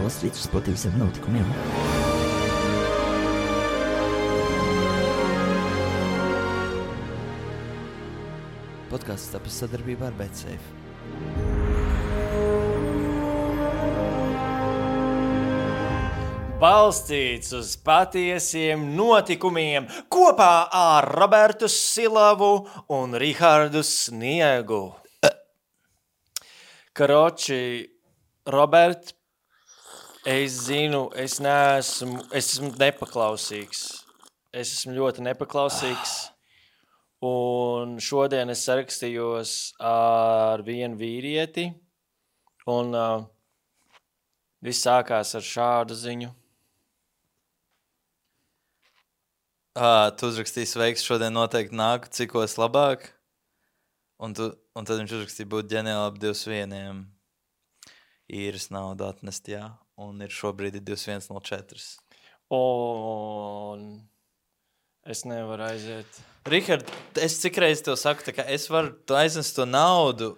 Wall Street uz patiesiem notikumiem. Podcasts tapis sadarbībā ar BetSafe. Balstīts uz patiesiem notikumiem kopā ar Robertu Silavu un Rihardu Sniegu. Karoči, Robert, es zinu, es esmu nepaklausīgs. Es esmu ļoti nepaklausīgs. Un šodien es sarakstījos ar vienu vīrieti. Un viss sākās ar šādu ziņu. Tu uzrakstīji sveiks, šodien noteikti nāk, cikos labāk. Un tad viņš uzrakstīja būt ģeniāli ap 21. Īres naudu atnest, jā. Un ir šobrīd 21.04. Un es nevaru aiziet. Rihard, es cik reiz tev saku, ka es varu aiznest to naudu,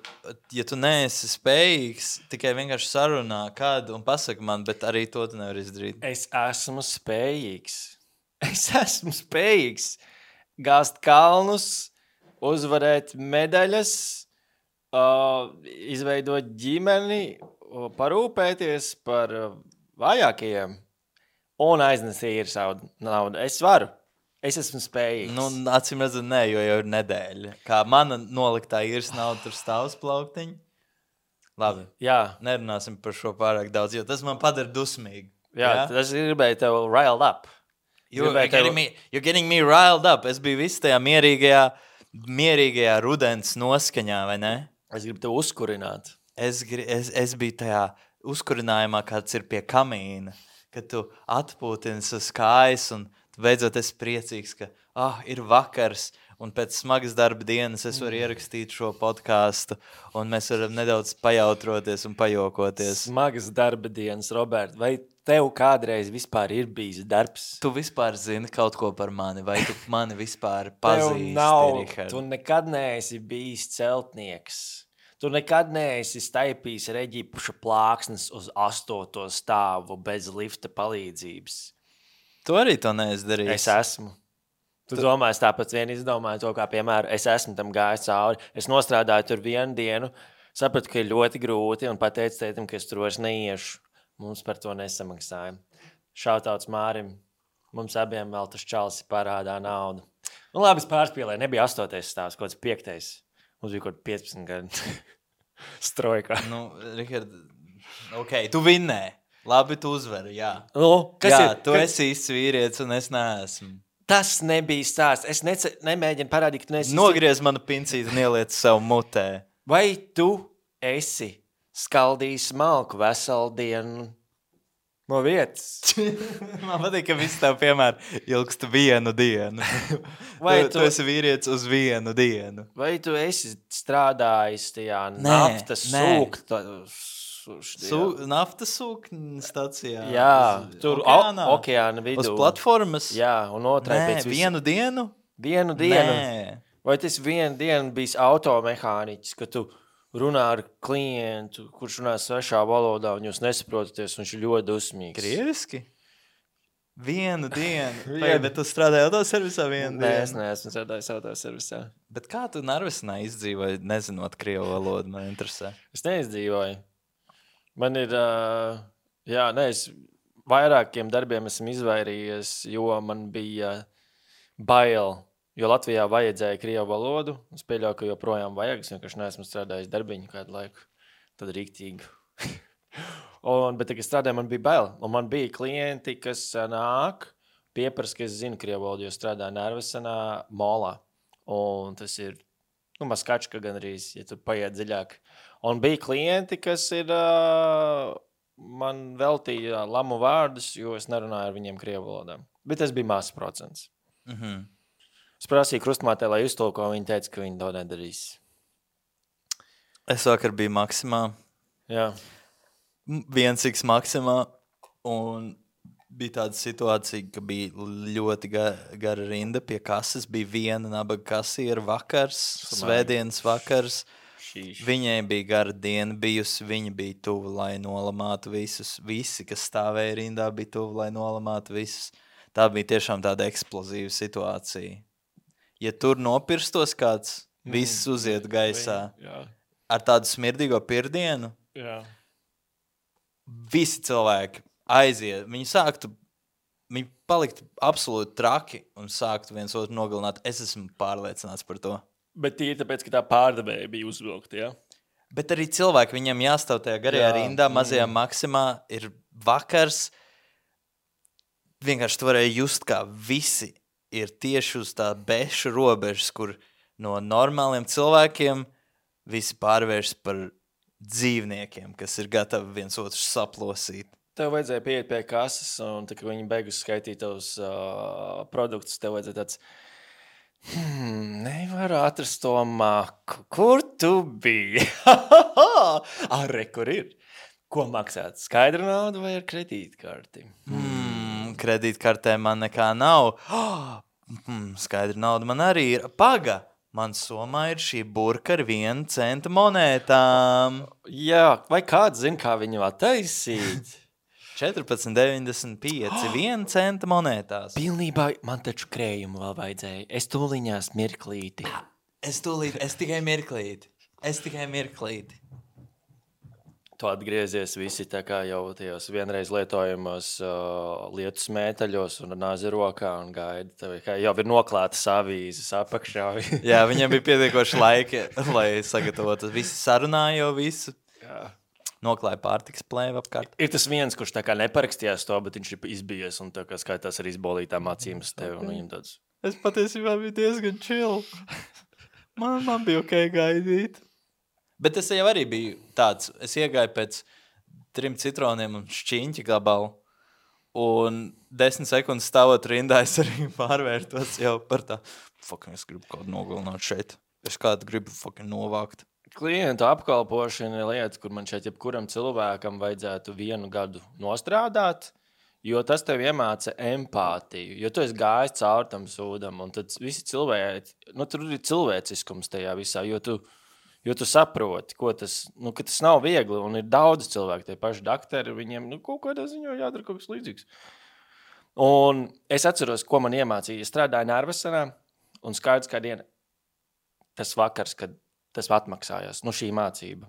ja tu neesi spējīgs, tikai vienkārši sarunā kādu un pasaka man, bet arī to tu nevar izdarīt. Es esmu spējīgs. Gāzt kalnus, uzvarēt medaļas, izveidot ģimeni, parūpēties par vājākajiem un aiznest īres naudu. Es varu. Es esmu spējīgs. Nu, acīm redzot, nē, jo jau ir nedēļa. Kā mana noliktā īres nauda tur stāv uz plauktiņa. Labi, jā. Nerunāsim par šo pārāk daudz, jo tas man padara dusmīgu. Jā, tas gribēja tev riled up. You're getting me riled up. Es biju viss tajā mierīgajā rudens noskaņā, vai ne? Es gribu tev uzkurināt. Es biju tajā uzkurinājumā, kāds ir pie kamīna, kad tu atpūtini uz kājas un beidzot esi priecīgs, ka ir vakars un pēc smagas darba dienas es varu ierakstīt šo podcastu un mēs varam nedaudz pajautroties un pajokoties. Smagas darba dienas, Robert. Vai tev kādreiz vispār ir bijis darbs? Tu vispār zini kaut ko par mani, vai tu mani vispār pazīsti, Richard? Tu nekad neesi bijis celtnieks. Tu nekad neesi staipījis Reģipuša plāksnes uz 8. stāvu bez lifta palīdzības. Tu arī to neesi darījis. Es esmu. Tu domā, es tāpat vien izdomāju to, kā piemēram, es esmu tam gājis cauri. Es nostrādāju tur vienu dienu, sapratu, ka ir ļoti grūti un pateicu tētim, ka es tur vairs neiešu. Mums par to nesamaksāja. Šautauts Mārim. Mums abiem vēl tas čalis parādā naudu. Nu labi, es pārspīlēju. Nebija 8. stāvs, kaut kāds 5. Mums bija kaut 15 gadu. Strojkā. Nu, Richard, ok, tu vinnē. Labi, tu uzvari, jā. Nu, tu esi īsts vīrietis un es neesmu. Tas nebija stāsts. Es nemēģinu parādīt, ka tu neesi... Nogriez manu pincīti un ieliec sev mutē. Vai tu esi skaldījis malku veselu dienu no vietas? Man patīk, ka viss tev, piemēram, ilgst vienu dienu. Vai tu esi vīrietis uz vienu dienu? Vai tu esi strādājis tajā naftas sūkta... Naftas sūkņu stacijā. Jā, tur okeāna vidū. Uz platformas? Jā, un otrai pēc visu. Vienu dienu? Vienu dienu. Vai tas vienu dienu bijis automehāniķis, ka tu runā ar klientu, kurš runā svešā valodā, un jūs nesaprotaties, un viņš ir ļoti dusmīgs? Krieviski? Vienu dienu? Bet tu strādāji autoservisā vienu dienu? Nē, es neesmu strādājis autoservisā. Bet kā tu Narvesenā izdzīvoji, nezinot krievu valodu, man interesē? Es neizdzīvoju. Man ir, es vairākiem darbiem esmu izvairījies, jo man bija bail, jo Latvijā vajadzēja krievu valodu. Es pieļauju, ka joprojām vajag, es vienkārši neesmu strādājis darbiņu kādu laiku, tad rīktīgu. Bet, kad strādāju, man bija bail, un man bija klienti, kas nāk, pieprasa, ka es zinu krievu valodu, jo strādāju Narvesenā molā, un tas ir, maskačka gan arī, ja tu paiet dziļāk. Un bija klienti, kas man veltīja lamu vārdus, jo es nerunāju ar viņiem krievu valodām. Bet tas bija mazs procents. Mhm. Es prasīju krustmātē, lai iztulko, viņi teica, ka viņi to nedarīs. Es vakar biju Maksimā. Jā. 1x Maksimā, un bija tāda situācija, ka bija ļoti gara rinda pie kases. Bija viena nabaga kasiera vakars, svētdienas vakars, Viņai bija gara diena bijusi, viņa bija tuvu, lai nolamātu visus. Visi, kas stāvēja rindā, bija tuvu, lai nolamātu visus. Tā bija tiešām tāda eksplozīva situācija. Ja tur nopirstos kāds, viss uziet gaisā ar tādu smirdīgo pirdienu, visi cilvēki aiziet. Viņi paliktu absolūti traki un sāktu viens otru nogalināt. Es esmu pārliecināts par to. Bet tīri tāpēc, ka tā pārdevēja bija uzvilkta, ja? Bet arī cilvēki, viņiem jāstāv tajā garajā rindā, mazajā maksimā, ir vakars. Vienkārši tu varēji just, kā visi ir tieši uz tā bešu robežas, kur no normāliem cilvēkiem visi pārvērš par dzīvniekiem, kas ir gatavi viens otru saplosīt. Tev vajadzēja pieiet pie kases, un tā, ka viņi beigus skaitīt tavus produktus, tev vajadzēja tāds, nevaru atrast to maku. Kur tu biji? Arre, kur ir? Ko maksāt? Skaidra nauda vai ar kredītkarti? Kredītkartē man nekā nav. Skaidra nauda man arī ir. Paga! Man somā ir šī burka ar 1 centa monētām. Jā, vai kāds zina, kā viņu attaisīt? 14,95 1 centa monētās. Pilnībā man taču krējumu vēl vajadzēja. Es tūliņās mirklīti. Es tikai mirklīti. Tu atgriezies visi tā kā jau tajos vienreiz lietojamos lietus mēteļos un nāzi rokā un gaidi. Tev jau ir noklātas avīzes apakšā. Jā, viņiem bija pietiekoši laika, lai sagatavotu. Visi sarunāja jau visu. Jā. Noklāja pārtiks plēvi apkārt. Ir tas viens, kurš tā kā neparakstījās to, bet viņš ir izbijies un tā kā skaitās ar izbolītām acīm uz tevi. Un viņam tāds... Es patiesībā biju diezgan chill. Man bija ok gaidīt. Bet es jau arī biju tāds. Es iegāju pēc 3 citroniem un šķiņķi gabalu. Un 10 sekundes stāvot rindā, es arī pārvērtos jau par tā. Fucking, es gribu kādu nogalināt šeit. Es kādu gribu fucking novākt. Klientu apkalpošana ir lieta, kur man šeit jebkuram cilvēkam vajadzētu 1 gadu nostrādāt, jo tas tev iemāca empātiju. Jo tu esi gājis caur tam sūdam, un tad visi cilvēki, tur ir cilvēciskums tajā visā, jo tu saproti, ka tas nav viegli, un ir daudz cilvēku, tie paši dakteri, viņiem kaut kādā ziņā jādara kaut kas līdzīgs. Un es atceros, ko man iemācīja. Es strādāju Nārvesenā, un skaidrs, kā diena, tas vakars, kad tas atmaksājās, šī mācība.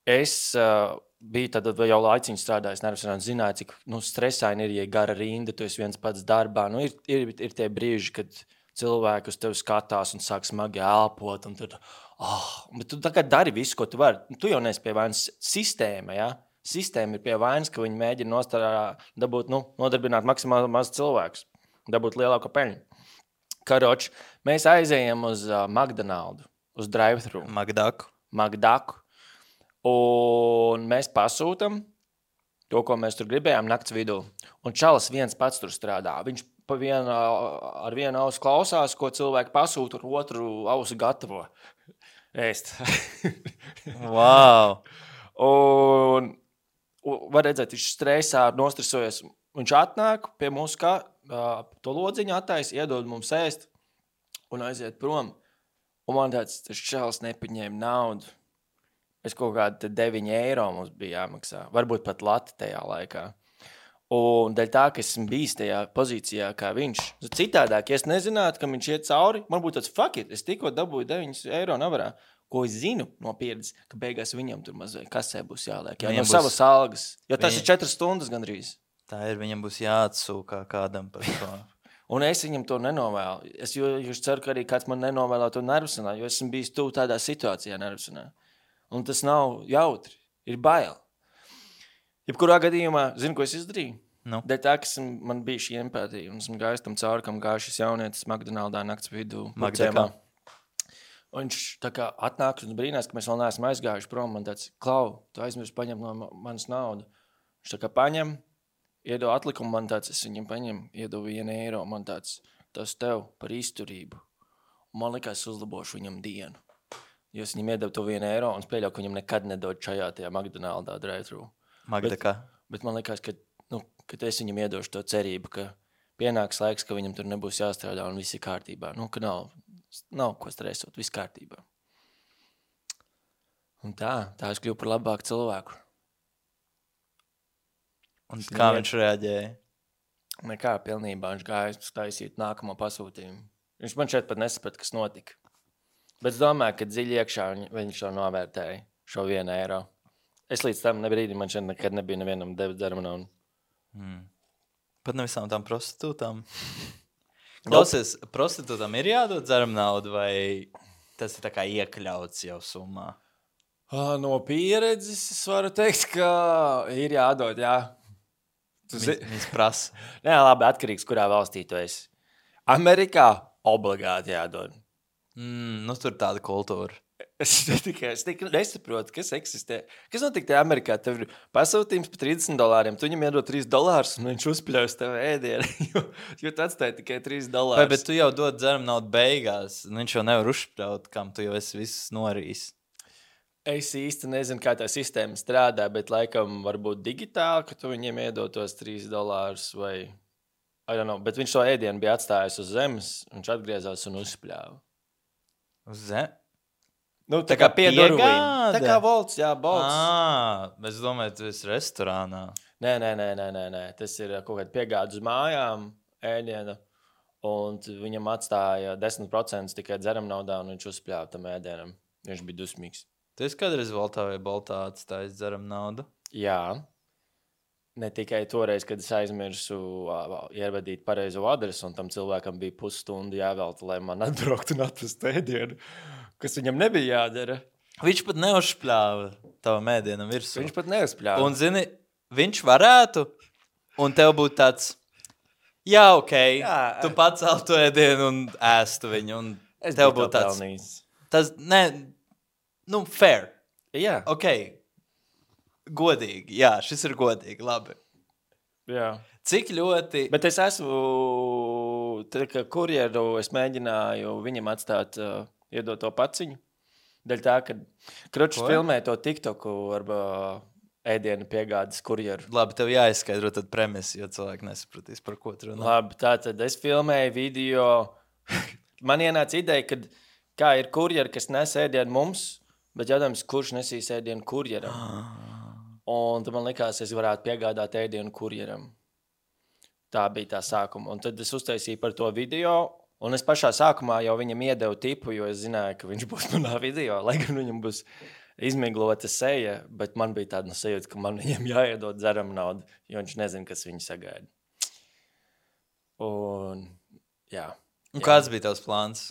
Es biju tad jau laiciņu strādājis Nārvesenā un zināju, cik stresaini ir, ja gara rinda, tu esi viens pats darbā. Ir tie brīži, kad cilvēki uz tevi skatās un sāk smagi elpot, un tad, bet tu tagad dari visu, ko tu vari. Tu jau neesi pie vainas sistēma, ja? Sistēma ir pie vainas, ka viņi mēģina nodarbināt maksimāli maz cilvēkus, dabūt lielāku peļņu. Karoči, mēs aizējam uz McDonald's, uz drive-thru. Magdaku. Un mēs pasūtam to, ko mēs tur gribējām nakts vidū. Un čalis viens pats tur strādā. Viņš ar vienu ausu klausās, ko cilvēki pasūta, ar otru ausu gatavo ēst. Wow! Un var redzēt, viņš stresā, nostresojies. Viņš atnāk pie mūsu to lodziņu attais, iedod mums ēst un aiziet prom. Un man tas čalis nepaņēma naudu. Es kaut kādi 9 eiro mums bija jāmaksā. Varbūt pat lati tajā laikā. Un dēļ tā, ka esmu bijis tajā pozīcijā kā viņš. Citādāk, ja es nezinātu, ka viņš iet cauri, man būtu tāds fuck it, es tikko dabūju 9 eiro navarā. Ko es zinu no pieredzes, ka beigās viņam tur mazliet kasē būs jāliek. Jā, no savas algas. Jo tas ir 4 stundas gandrīz. Tā ir, viņam būs jāatsūkā kādam par to. Un es viņam to nenovēlu. Es ceru, ka arī kāds man nenovēlā to Nārvesenā, jo esmu bijis tuvu tādā situācijā Nārvesenā. Un tas nav jautri, ir bail. Jebkurā gadījumā, zinu, ko es izdarīju? Dēļ tā, ka man bija šī empātija, un esmu gājis tam cauri, kam gāja šis jaunietis McDonaldā nakts vidū. Magdakā. Un viņš tā kā atnāk un brīnās, ka mēs vēl neesam aizgājuši prom. Man tāds, Klau, tu aizmirsti paņemt no manas naudu. Viņš tā kā paņem, iedod atlikumu, man tāds, es viņam paņem, iedod 1 eiro, man tāds, tas tev par izturību. Un man likās, uzlabošu viņam dienu. Jo es viņam iedevu to 1 eiro, un es pieļauju, ka viņam nekad nedod šajā tajā McDonaldā drive-thru. Magdakā. Bet man likās, ka es viņam iedošu to cerību, ka pienāks laiks, ka viņam tur nebūs jāstrādā un viss ir kārtībā. Ka nav ko stresot, viss kārtībā. Un tā es kļuvu par labāku cilvēku. Un kā viņš reaģēja? Nekā pilnībā viņš gāja taisīt nākamo pasūtījumu. Viņš man šeit pat nesaprata, kas notika. Bet es domāju, ka dziļi iekšā viņš to novērtēja, šo 1 eiro. Es līdz tam brīdim man šeit nekad nebija nevienam devis dzerama naudu. Pat ne visām tām prostitūtām. Klausies, prostitūtām ir jādod dzerama naudu, vai tas ir tā kā iekļauts jau summā? No pieredzes es varu teikt, ka ir jādod, jā. Viņas prasa. Nē, labi, atkarīgs, kurā valstī tu esi. Amerikā obligāti jādod. Nu, tur tāda kultūra. Es tikai nesaprotu, kas eksistē. Kas notika tajā Amerikā? Tev ir pasūtījums par $30. Tu viņam iedod $3 un viņš uzpļaus tev ēdienu. Jo tu atstāji tikai $3. Vai, bet tu jau dod dzerama naudu beigās. Viņš jau nevar uzšpraut, kam tu jau esi viss norījis. Es īsti nezinu, kā tā sistēma strādā, bet laikam varbūt digitāli, ka tu viņiem iedod tos $3 vai... I don't know, bet viņš to ēdienu bija atstājis uz zemes, viņš atgriezās un uzspļāva. Uz zemes? Nu, tā kā piegāde? Tā kā volts, jā, volts. Es domāju, tu esi restorānā. Nē. Tas ir kaut kāda piegāde uz mājām ēdienu, un viņam atstāja 10% tikai dzerama naudā, un viņš uzspļāva tam ēdienam. Viņš bija dusmīgs. Tu esi kādreiz Voltā vai Boltā atstājis dzerama naudu? Jā. Ne tikai toreiz, kad es aizmirsu ievadīt pareizo adresu, un tam cilvēkam bija pusstundu jāvelta, lai man atbrauktu un atvestu ēdienu, kas viņam nebija jādara. Viņš pat neuzšpļāva tavam ēdienam virsū. Viņš pat neuzspļāva. Un, zini, viņš varētu, un tev būtu tāds, jā, ok, tu pacēl to ēdienu un ēstu viņu, un tev būtu tāds, tas, ne, nu, fair. Jā. Ok, godīgi, jā, šis ir godīgi, labi. Jā. Cik ļoti... Bet es esmu, tā kā kurjeru, es mēģināju viņam atstāt iedot to paciņu. Daļ tā, ka Kročs filmē to TikToku ar ēdienu piegādes kurjeru. Labi, tev jāizskaidro tad premisi, jo cilvēki nesapratīs, par ko tu runā. Labi, tātad es filmēju video. Man ienāca ideja, ka kā ir kurjeri, kas nes ēdienu mums, bet jautājums, kurš nesīs ēdienu kurjeram. Un tad man likās, es varētu piegādāt ēdienu kurjeram. Tā bija tā sākuma. Un tad es uztaisīju par to video, un es pašā sākumā jau viņam iedevu tipu, jo es zināju, ka viņš būs manā video, lai gan viņam būs izmiglota seja, bet man bija tāda sajūta, ka man viņam jāiedod dzerama naudu, jo viņš nezina, kas viņu sagaida. Un, jā. Un kāds bija tavs plāns?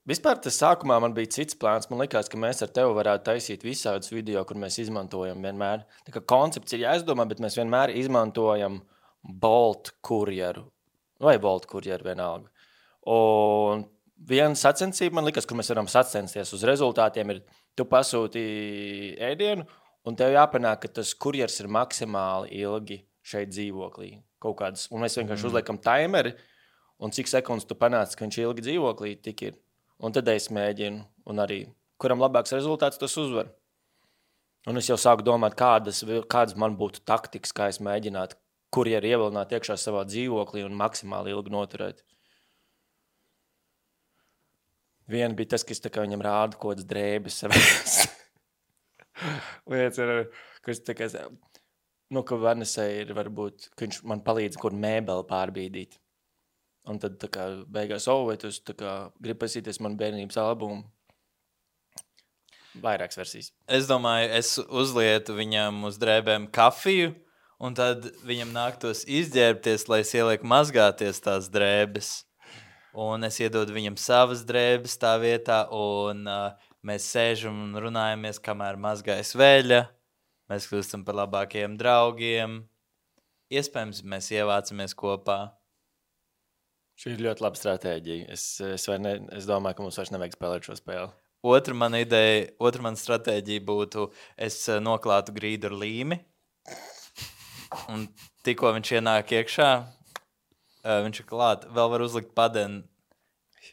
Vispār tas sākumā man bija cits plāns. Man likās, ka mēs ar tevi varētu taisīt visādus video, kur mēs izmantojam vienmēr. Tā kā koncepts ir jāizdomā, bet mēs vienmēr izmantojam Bolt kurjeru. Vai Bolt kurjeru vienalga. Un viena sacensība man likās, kur mēs varam sacensties uz rezultātiem, ir tu pasūti ēdienu, un tev jāpanāk, ka tas kurjers ir maksimāli ilgi šeit dzīvoklī. Kaut kādas. Un mēs vienkārši uzliekam timeri, un cik sekundes tu panāc, ka viņš ilgi dzīvoklī, tik ir. Un tad es mēģinu, un arī, kuram labāks rezultāts, tas uzvar. Un es jau sāku domāt, kādas man būtu taktikas, kā es mēģinātu kurjeri ievilināt iekšā savā dzīvoklī un maksimāli ilgi noturēt. Viena bija tas, kas tā kā viņam rāda kaut kādas drēbes. Viens ir, kas tā kā, nu, ka Vanesai ir varbūt, ka viņš man palīdz kaut mēbeli pārbīdīt. Un tad tā kā beigās, vai tu gribi pasīties manu bērnības albumu? Vairākas versijas. Es domāju, es uzlietu viņam uz drēbēm kafiju, un tad viņam nāktos izģērbties, lai es ielieku mazgāties tās drēbes. Un es iedodu viņam savas drēbes tā vietā, un mēs sēžam un runājamies, kamēr mazgājas veļa. Mēs kļūstam par labākajiem draugiem. Iespējams, mēs ievācamies kopā. Šī ir ļoti laba stratēģija. Es domāju, ka mums vairs nevajag spēlēt šo spēli. Otra mana stratēģija būtu, es noklātu grīdu ar līmi. Un tikko viņš ienāk iekšā, viņš ir klāt. Vēl var uzlikt padeni,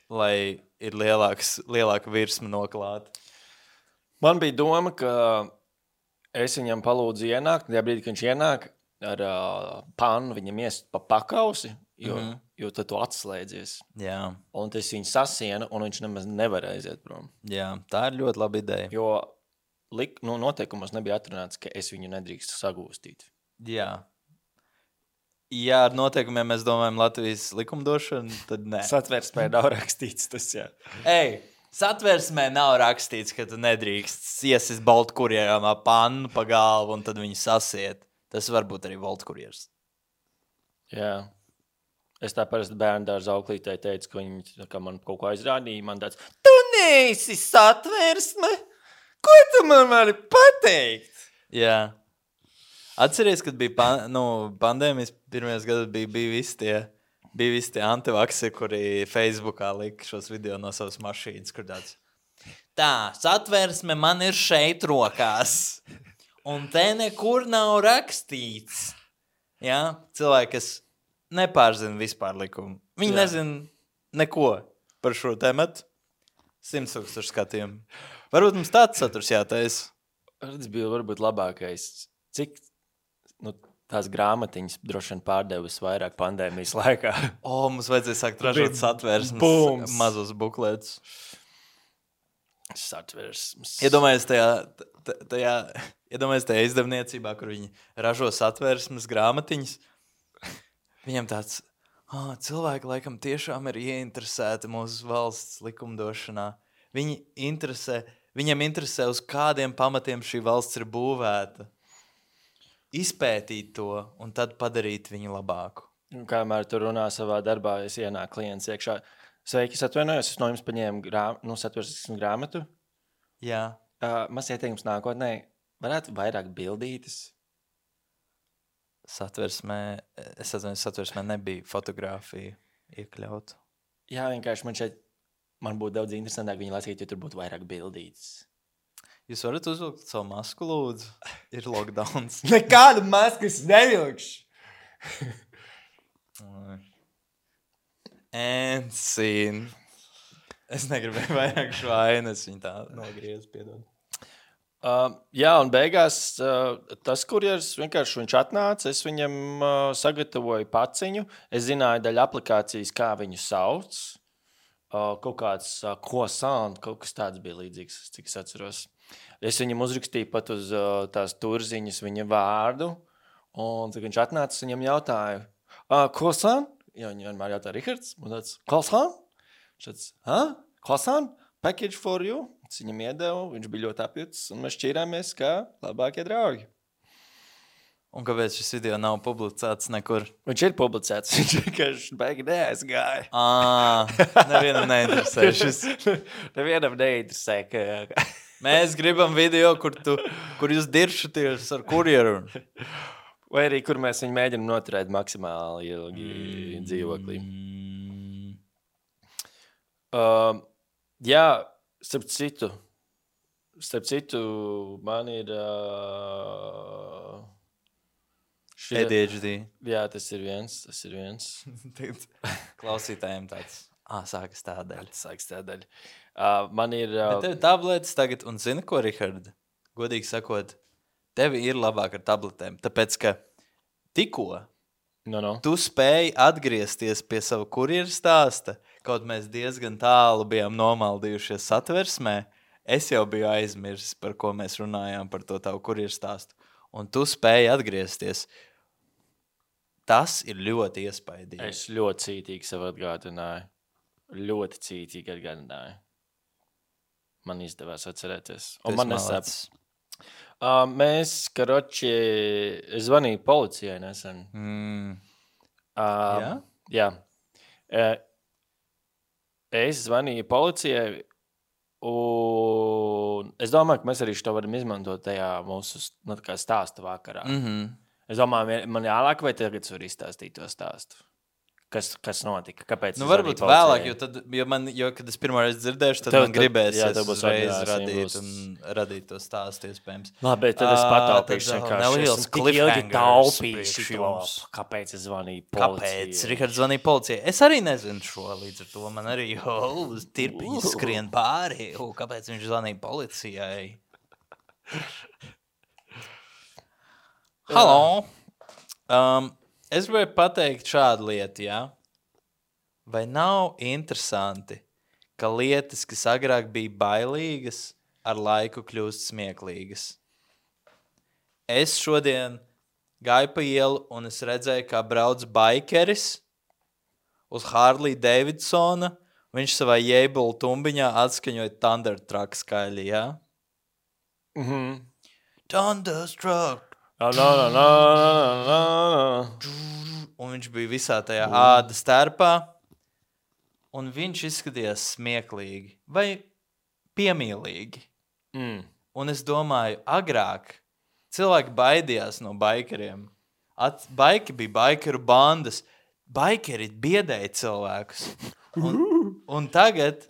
lai ir lielāka virsma noklāta. Man bija doma, ka es viņam palūdzu ienākt. Tajā brīdī, kad viņš ienāk ar pannu, viņam iest pa pakausi. Jo tad tu atslēdzies. Jā. Un tas viņu sasiena, un viņš nemaz nevar aiziet prom. Jā, tā ir ļoti laba ideja. Jo noteikumos nebija atrunāts, ka es viņu nedrīkstu sagūstīt. Jā. Ja ar noteikumiem mēs domājam Latvijas likumdošanu, tad nē. Satversmē nav rakstīts tas, jā. Ei, satversmē nav rakstīts, ka tu nedrīkst iesist boltkurjeram ap pannu pa galvu un tad viņu sasiet. Tas var būt arī boltkurjers. Jā. Es tā parasti bērndārza auklītē teicu, ka viņi kā man kaut ko aizrādīja. Man tāds, tu neesi satversme? Ko tu man vari pateikt? Jā. Atceries, kad bija pandēmijas pirmajos gados bija visi tie antivaksi, kuri Facebookā lika šos video no savas mašīnas, kur tāds. Tā, satversme man ir šeit rokās. Un te nekur nav rakstīts. Jā, cilvēki, kas nepārzina vispār likumu. Viņi nezina neko par šo tematu. 100,000 skatījumu. Varbūt mums tāds saturs jātais. Tas bija varbūt labākais. Cik tās grāmatiņas droši vien pārdevis vairāk pandēmijas laikā? Mums vajadzēja sākt ražot satversmes mazos buklētus. Satversmes. Iedomājies tajā izdevniecībā, kur viņi ražo satversmes grāmatiņas. Viņam tāds, cilvēki laikam tiešām ir ieinteresēti mūsu valsts likumdošanā. Viņiem interesē, uz kādiem pamatiem šī valsts ir būvēta. Izpētīt to un tad padarīt viņu labāku. Un kamēr tu runā savā darbā, es ienāk klients iekšā. Sveiki, es atvainojos, es no jums paņēmu satversmes grāmatu. Jā. Maz ieteikums nākotnē, varētu vairāk bildītas. Satversmē nebija fotografija iekļauta. Jā, vienkārši man būtu daudz interesantāk viņa lasīt, jo tur būtu vairāk bildītas. Jūs varat uzvilkt savu masku, lūdzu? Ir lockdowns. Nekādu masku es nevilkšu. And scene. Es negribēju vairāk švainas, viņa tā nogriez, piedod. Jā, un beigās tas kurjers vienkārši viņš atnāca, es viņam sagatavoju paciņu, es zināju daļu aplikācijas, kā viņu sauc, kaut kāds croissant, kaut kas tāds bija līdzīgs, cik es atceros. Es viņam uzrakstīju pat uz tās turziņas viņa vārdu, un tad viņš atnāca, viņam jautāju, croissant? Jā, viņi vienmēr jautā, Rihards, un tāds, croissant? Viņš tāds, croissant? Package for you? Es viņam iedevu, viņš bija ļoti apjuts, un mēs šķīrāmies kā labākie draugi. Un kāpēc šis video nav publicēts nekur? Viņš ir publicēts, viņš vienkārši baigi neaizgāja. Nevienam neinteresē šis. Nevienam neinteresē, ka... Mēs gribam video, kur jūs diršaties ar kurjeru. Vai arī, kur mēs viņu mēģinam noturēt maksimāli ilgi dzīvoklī. Jā, starp citu, man ir... ADHD. Jā, tas ir viens. Klausītājiem tāds. Sākas tādēļ. Man ir... Bet tev tabletes tagad, un zini ko, Richard? Godīgi sakot, tevi ir labāk ar tabletēm, tāpēc, ka tikko tu spēji atgriezties pie sava kurjera stāsta, kaut mēs diezgan tālu bijām nomaldījušies satversmē, es jau biju aizmirsis, par ko mēs runājām, par to tavu kurjera stāstu, un tu spēji atgriezties. Tas ir ļoti iespaidīgi. Es ļoti cītīgi sev atgādināju. Man izdevās atcerēties. Un man nesāp. Mēs, karoči, es zvanīju policijai nesen. Jā. Es zvanīju policijai, un es domāju, ka mēs arī šo varam izmantot tajā mūsu stāsta vakarā. Es domāju, man jālāk, vai tagad es varu izstāstīt to stāstu? Kas notika? Kāpēc? Varbūt vēlāk, jo kad es pirmo reizi dzirdēšu, tad man gribēsies uzreiz radīt to stāstu iespējams. Labi, tad es pataupīšu vienkārši. Neliels cliffhangers. Kāpēc es zvanīju policijai? Kāpēc Rihards zvanīja policijai? Es arī nezinu šo, līdz ar to man arī tirpiņas skrien pāri. Kāpēc viņš zvanīja policijai? Halo! Es gribēju pateikt šādu lietu, jā? Vai nav interesanti, ka lietas, kas agrāk bija bailīgas, ar laiku kļūst smieklīgas. Es šodien gāju pa ielu un es redzēju, kā brauc baikeris uz Harley Davidsona. Viņš savā jēbulu tumbiņā atskaņoja Thunderstruck skaļi, jā? Thunderstruck. Un viņš bija visā tajā ādas terpā. Un viņš izskatījās smieklīgi vai piemīlīgi. Un es domāju, agrāk cilvēki baidījās no baikeriem. Baiki bija baikeru bandas. Baikeri biedēja cilvēkus. Un tagad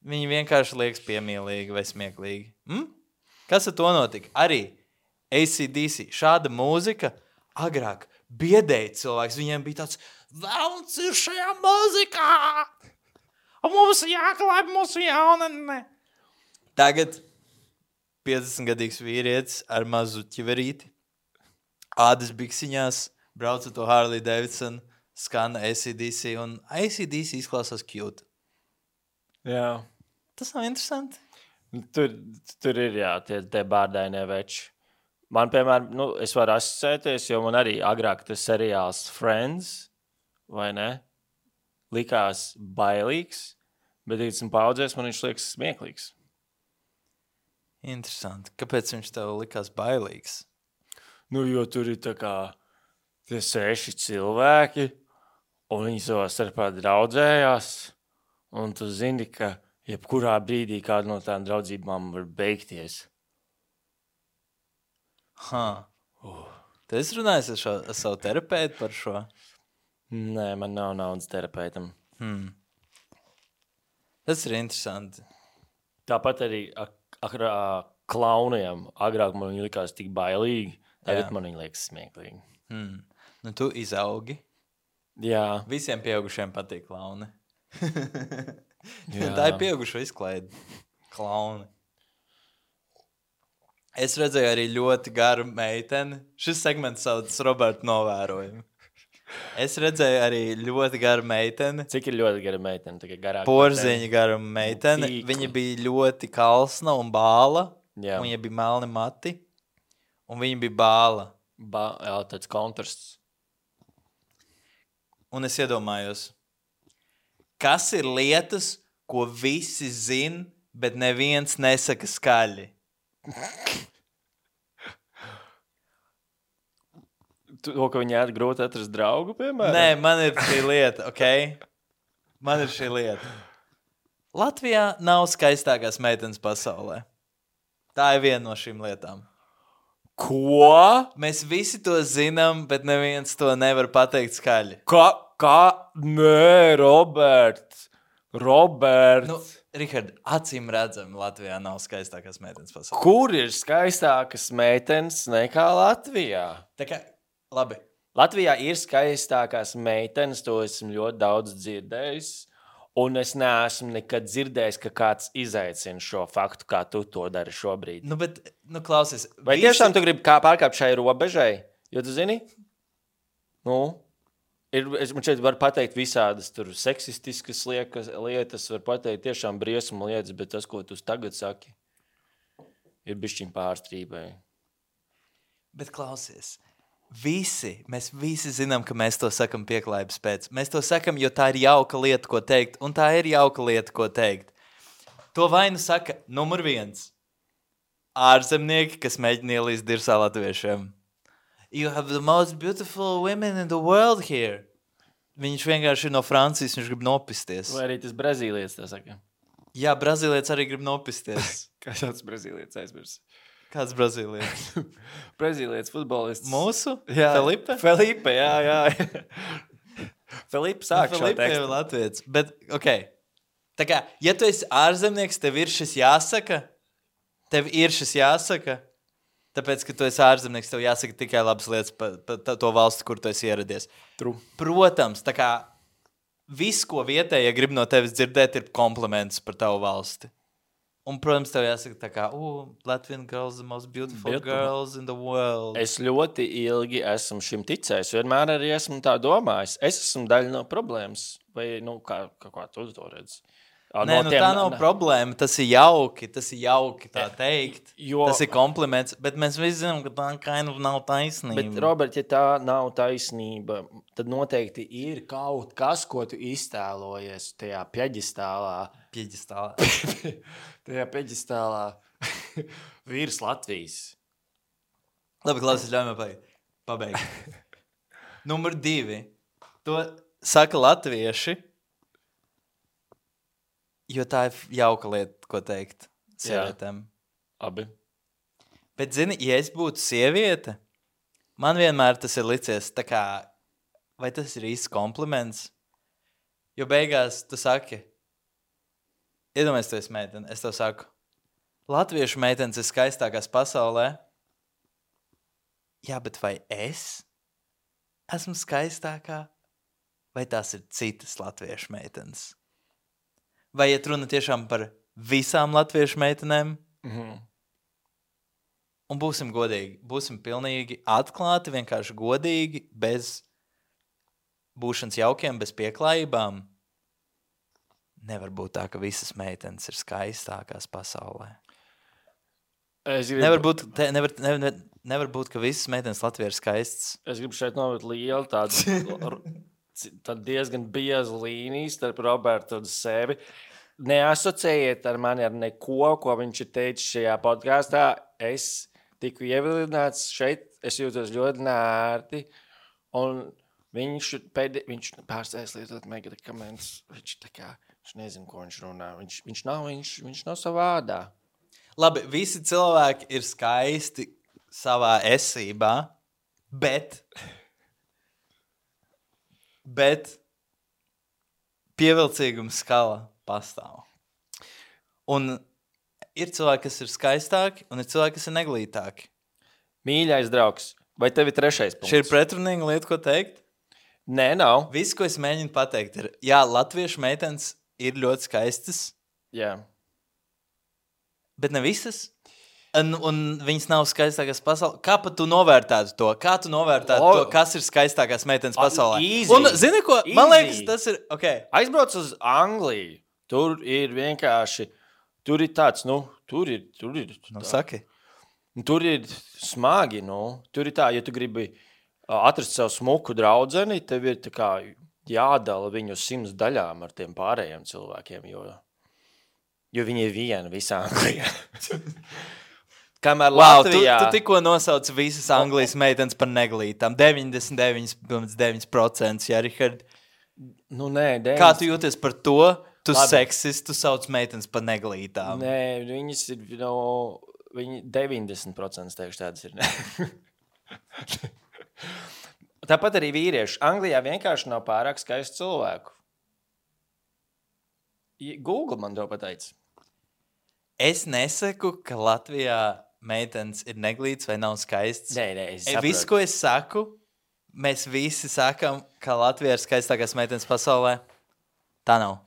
viņi vienkārši liekas piemīlīgi vai smieklīgi. Kas ar to notika? Arī AC/DC, šāda mūzika agrāk biedēja cilvēks. Viņiem bija tāds, velns ir šajā mūzikā! Un mums jāklāj mūsu jaunatne. Tagad 50-gadīgs vīrietis ar mazu ķiverīti, ādas biksiņās, brauc ar to Harley Davidson, skan AC/DC, un AC/DC izklausās cute. Jā. Tas nav interesanti. Tur ir, jā, tie bārdainie veči. Man, piemēram, es varu asociēties, jo man arī agrāk tas seriāls Friends, vai ne, likās bailīgs, bet, kad esmu paudzēs, man viņš liekas smieklīgs. Interesanti. Kāpēc viņš tev likās bailīgs? Jo tur ir tā kā tie 6 cilvēki, un viņi savā starpā draudzējās, un tu zini, ka jebkurā brīdī kāda no tām draudzībām var beigties. Tu esi runājis ar savu terapeitu par šo? Nē, man nav naudas terapeitam. Tas ir interesanti. Tāpat arī klauniem. Agrāk man viņi likās tik bailīgi, tagad man viņi liekas smieklīgi. Tu izaugi. Jā. Visiem pieaugušiem patīk klauni. Tā ir pieaugušo izklaide. Klauni. Es redzēju arī ļoti garu meiteni. Šis segments saucas Roberta novērojumi. Es redzēju arī ļoti garu meiteni. Cik ir ļoti gara meitene? Porziņa gara meitene. Viņa bija ļoti kalsna un bāla. Jā. Un viņa bija melni mati. Un viņa bija bāla. Jā, tāds kontrasts. Un es iedomājos, kas ir lietas, ko visi zin, bet neviens nesaka skaļi? To, ka viņi grūti atrast draugu, piemēram? Nē, man ir šī lieta, ok? Man ir šī lieta. Latvijā nav skaistākās meitenes pasaulē. Tā ir viena no šīm lietām. Ko? Mēs visi to zinām, bet neviens to nevar pateikt skaļi. Kā? Nē, Roberts. Rihard, acīm redzam, Latvijā nav skaistākās meitenes pasaulē. Kur ir skaistākas meitenes nekā Latvijā? Tā kā, labi. Latvijā ir skaistākās meitenes, to esmu ļoti daudz dzirdējis. Un es neesmu nekad dzirdējis, ka kāds izaicina šo faktu, kā tu to dari šobrīd. Klausies. Vai tiešām tu gribi pārkāpt šai robežai? Jo tu zini? Es šeit varu pateikt visādas seksistiskas lietas, var pateikt tiešām briesmu lietas, bet tas, ko tu tagad saki, ir bišķiņ pārstrībai. Bet klausies. Mēs visi zinām, ka mēs to sakam pieklājības pēc. Mēs to sakam, jo tā ir jauka lieta, ko teikt. Un tā ir jauka lieta, ko teikt. To vainu saka numur 1. Ārzemnieki, kas mēģina ielīst dirsā latviešiem. You have the most beautiful women in the world here. Viņš vienkārši ir no Francijas, viņš grib nopisties. Vai arī tas brazīlietis tā saka? Jā, brazīlietis arī grib nopisties. Kā sauc brazīlietis aizmirs? Kāds brazīlietis? Brazīlietis futbolists. Mūsu? Jā. Felipe, jā. Felipe sāk šo tekstu. Felipe ir latvietis. Bet, ok. Tā kā, ja tu esi ārzemnieks, tev ir šis jāsaka. Tāpēc, ka tu esi ārzemnieks, tev jāsaka tikai labas lietas par to valsti, kur tu esi ieradies. True. Protams, tā kā viss, ko vietējie grib no tevis dzirdēt, ir kompliments par tavu valsti. Un, protams, tev jāsaka tā kā, Latvian girls, the most beautiful girls in the world. Es ļoti ilgi esmu šim ticējis, vienmēr arī esmu tā domājis. Es esmu daļa no problēmas, vai, kā tu to redzi? Nē, tā nav problēma. Tas ir jauki tā teikt. Tas ir kompliments, bet mēs visi zinām, ka tā nav taisnība. Bet, Robert, ja tā nav taisnība, tad noteikti ir kaut kas, ko tu iztēlojies tajā pjeģistālā. Tajā pjeģistālā vīrs Latvijas. Labi, klausies, ļauj man pabeigt. Numur 2. To saka latvieši. Jo tā ir jauka lieta, ko teikt sievietēm. Abi. Bet, zini, ja es būtu sieviete, man vienmēr tas ir licies tā kā, vai tas ir īsts kompliments? Jo beigās tu saki, iedomājies, tu esi meitene, es tev saku, latviešu meitenes ir skaistākās pasaulē. Jā, bet vai es esmu skaistākā, vai tās ir citas latviešu meitenes? Vai iet runa tiešām par visām latviešu meitenēm? Un būsim godīgi, būsim pilnīgi atklāti, vienkārši godīgi, bez būšanas jaukiem, bez pieklājībām. Nevar būt tā, ka visas meitenes ir skaistākās pasaulē. Nevar būt, ka visas meitenes Latvijā ir skaistas. Es gribu šeit noviet lielu tādu diezgan biezu līniju starp Robertu un sevi. Neasociējiet ar mani ar neko, ko viņš ir teicis šajā podkāstā. Es tiku ievilināts šeit, es jūtos ļoti nērti, un viņš pārstājās lietot medikamentus. Viņš nezina, ko viņš runā. Viņš nav savā vārdā. Labi, visi cilvēki ir skaisti savā esībā, bet pievilcīguma skala pastāv. Un ir cilvēki, kas ir skaistāki, un ir cilvēki, kas ir neglītāki. Mīļais draugs, vai tev ir 3. punkts? Šī ir pretrunīga lieta, ko teikt? Nē, nav. Viss, ko es mēģinu pateikt, ir, jā, latviešu meitenes ir ļoti skaistas. Jā. Bet ne visas. Un viņas nav skaistākās pasaulē. Kā pat tu novērtētu to? Kā tu novērtētu to, kas ir skaistākās meitenes pasaulē? Easy. Un zini ko? Man liekas, tas ir... Okay. Aizbrauc uz Angliju. Tur ir vienkārši... Tur ir tāds, tur ir... Saki. Tur ir smagi, Tur ir tā, ja tu gribi atrast savu smuku draudzeni, tev ir tā kā jādala viņu 100 daļām ar tiem pārējiem cilvēkiem, jo viņi ir viena visā Anglijā. Kamēr Latvijā... Tu tikko nosauc visas Anglijas meitenes par neglītām. 99,9%, jā, Richard. Nē, 9... Kā tu jūties par to? Tu seksists, tu sauc meitenes par neglītām. Nē, viņas ir, viņi 90% teikšu tādas ir. Tāpat arī vīrieši. Anglijā vienkārši nav pārāk skaistu cilvēku. Google man to pateica. Es nesaku, ka Latvijā meitenes ir neglītas vai nav skaistas. Nē, es saprotu. Viss, ko es saku, mēs visi sakam, ka Latvijā ir skaistākās meitenes pasaulē. Tā nav.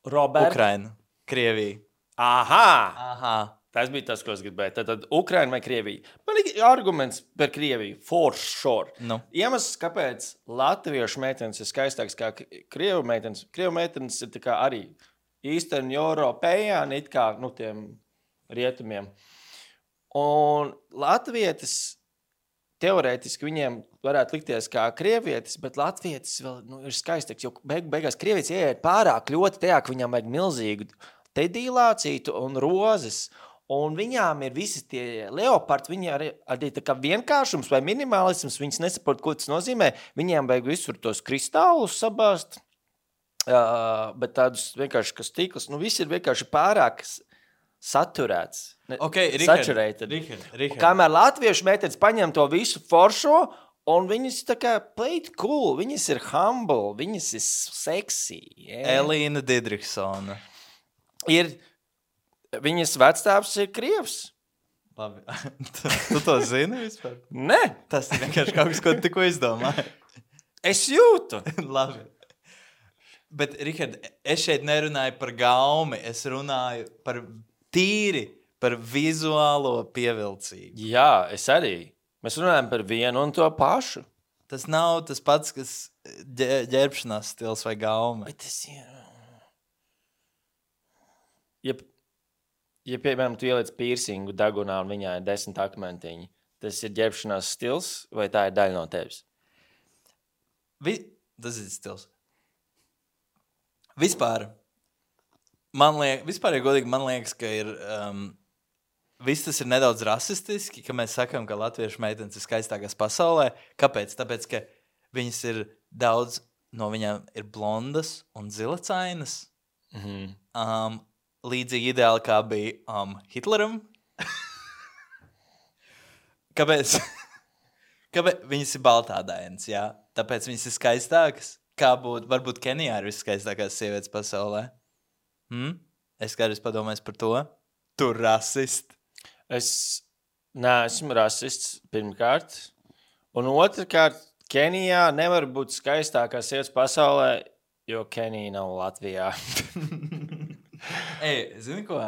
Robert. Ukraina, Krievija. Aha. Tas bija tas, ko es gribēju. Tad Ukraina vai Krievija? Man ir arguments par Krieviju. For sure. Iemesls, kāpēc latviešu meitenes ir skaistākas kā krievu meitenes. Krievu meitenes ir tā kā arī Eastern European, it kā tiem rietumiem. Un latvietis teorētiski viņiem varētu likties kā krievietis, bet latvietis vēl ir skaistāks, jo beigās krievietis ieiet pārāk ļoti tajā, ka viņam vajag milzīgu tedīlācītu un rozes. Un viņām ir visi tie leopardi, viņi arī tā kā vienkāršums vai minimalisms, viņas nesaprot, ko tas nozīmē. Viņiem vajag visur tos kristālus sabāst, bet tādus vienkārši, kas tīklas, viss ir vienkārši pārāk saturēts. Richard. Kamēr latviešu meitenes paņem to visu foršo, un viņas tā kā play it cool, viņas ir humble, viņas ir sexy. Yeah. Elīna Didriksona. Viņas vecstāvs ir krievs. Labi. Tu to zini vispār? Nē. Tas ir vienkārši kaut kas, ko tu tikko izdomāji. Es jūtu. Labi. Bet, Richard, es šeit nerunāju par gaumi, es runāju par par vizuālo pievilcību. Jā, es arī. Mēs runājam par vienu un to pašu. Tas nav tas pats, kas ģērbšanās stils vai gauma. Bet tas ir... ja piemēram, tu ieliec piercingu dagunā un viņā ir 10 akmentiņi, tas ir ģērbšanās stils vai tā ir daļa no tevis? Tas ir stils. Vispār, ja godīgi, man liekas, ka ir... Viss tas ir nedaudz rasistiski, ka mēs sakām, ka latviešu meitenes ir skaistākās pasaulē. Kāpēc? Tāpēc, ka viņas ir daudz no viņām ir blondas un zilacainas. Līdzīgi ideāli, kā bija Hitleram. Kāpēc? Viņas ir baltādainas, jā. Tāpēc viņas ir skaistākas. Varbūt Kenijā ir viskaistākās sievietes pasaulē. Es kādreiz padomāju par to. Tu rasist. Es neesmu rasists, pirmkārt. Un otrkārt, Kenijā nevar būt skaistākās sievietes pasaulē, jo Kenija nav Latvijā. Zini ko?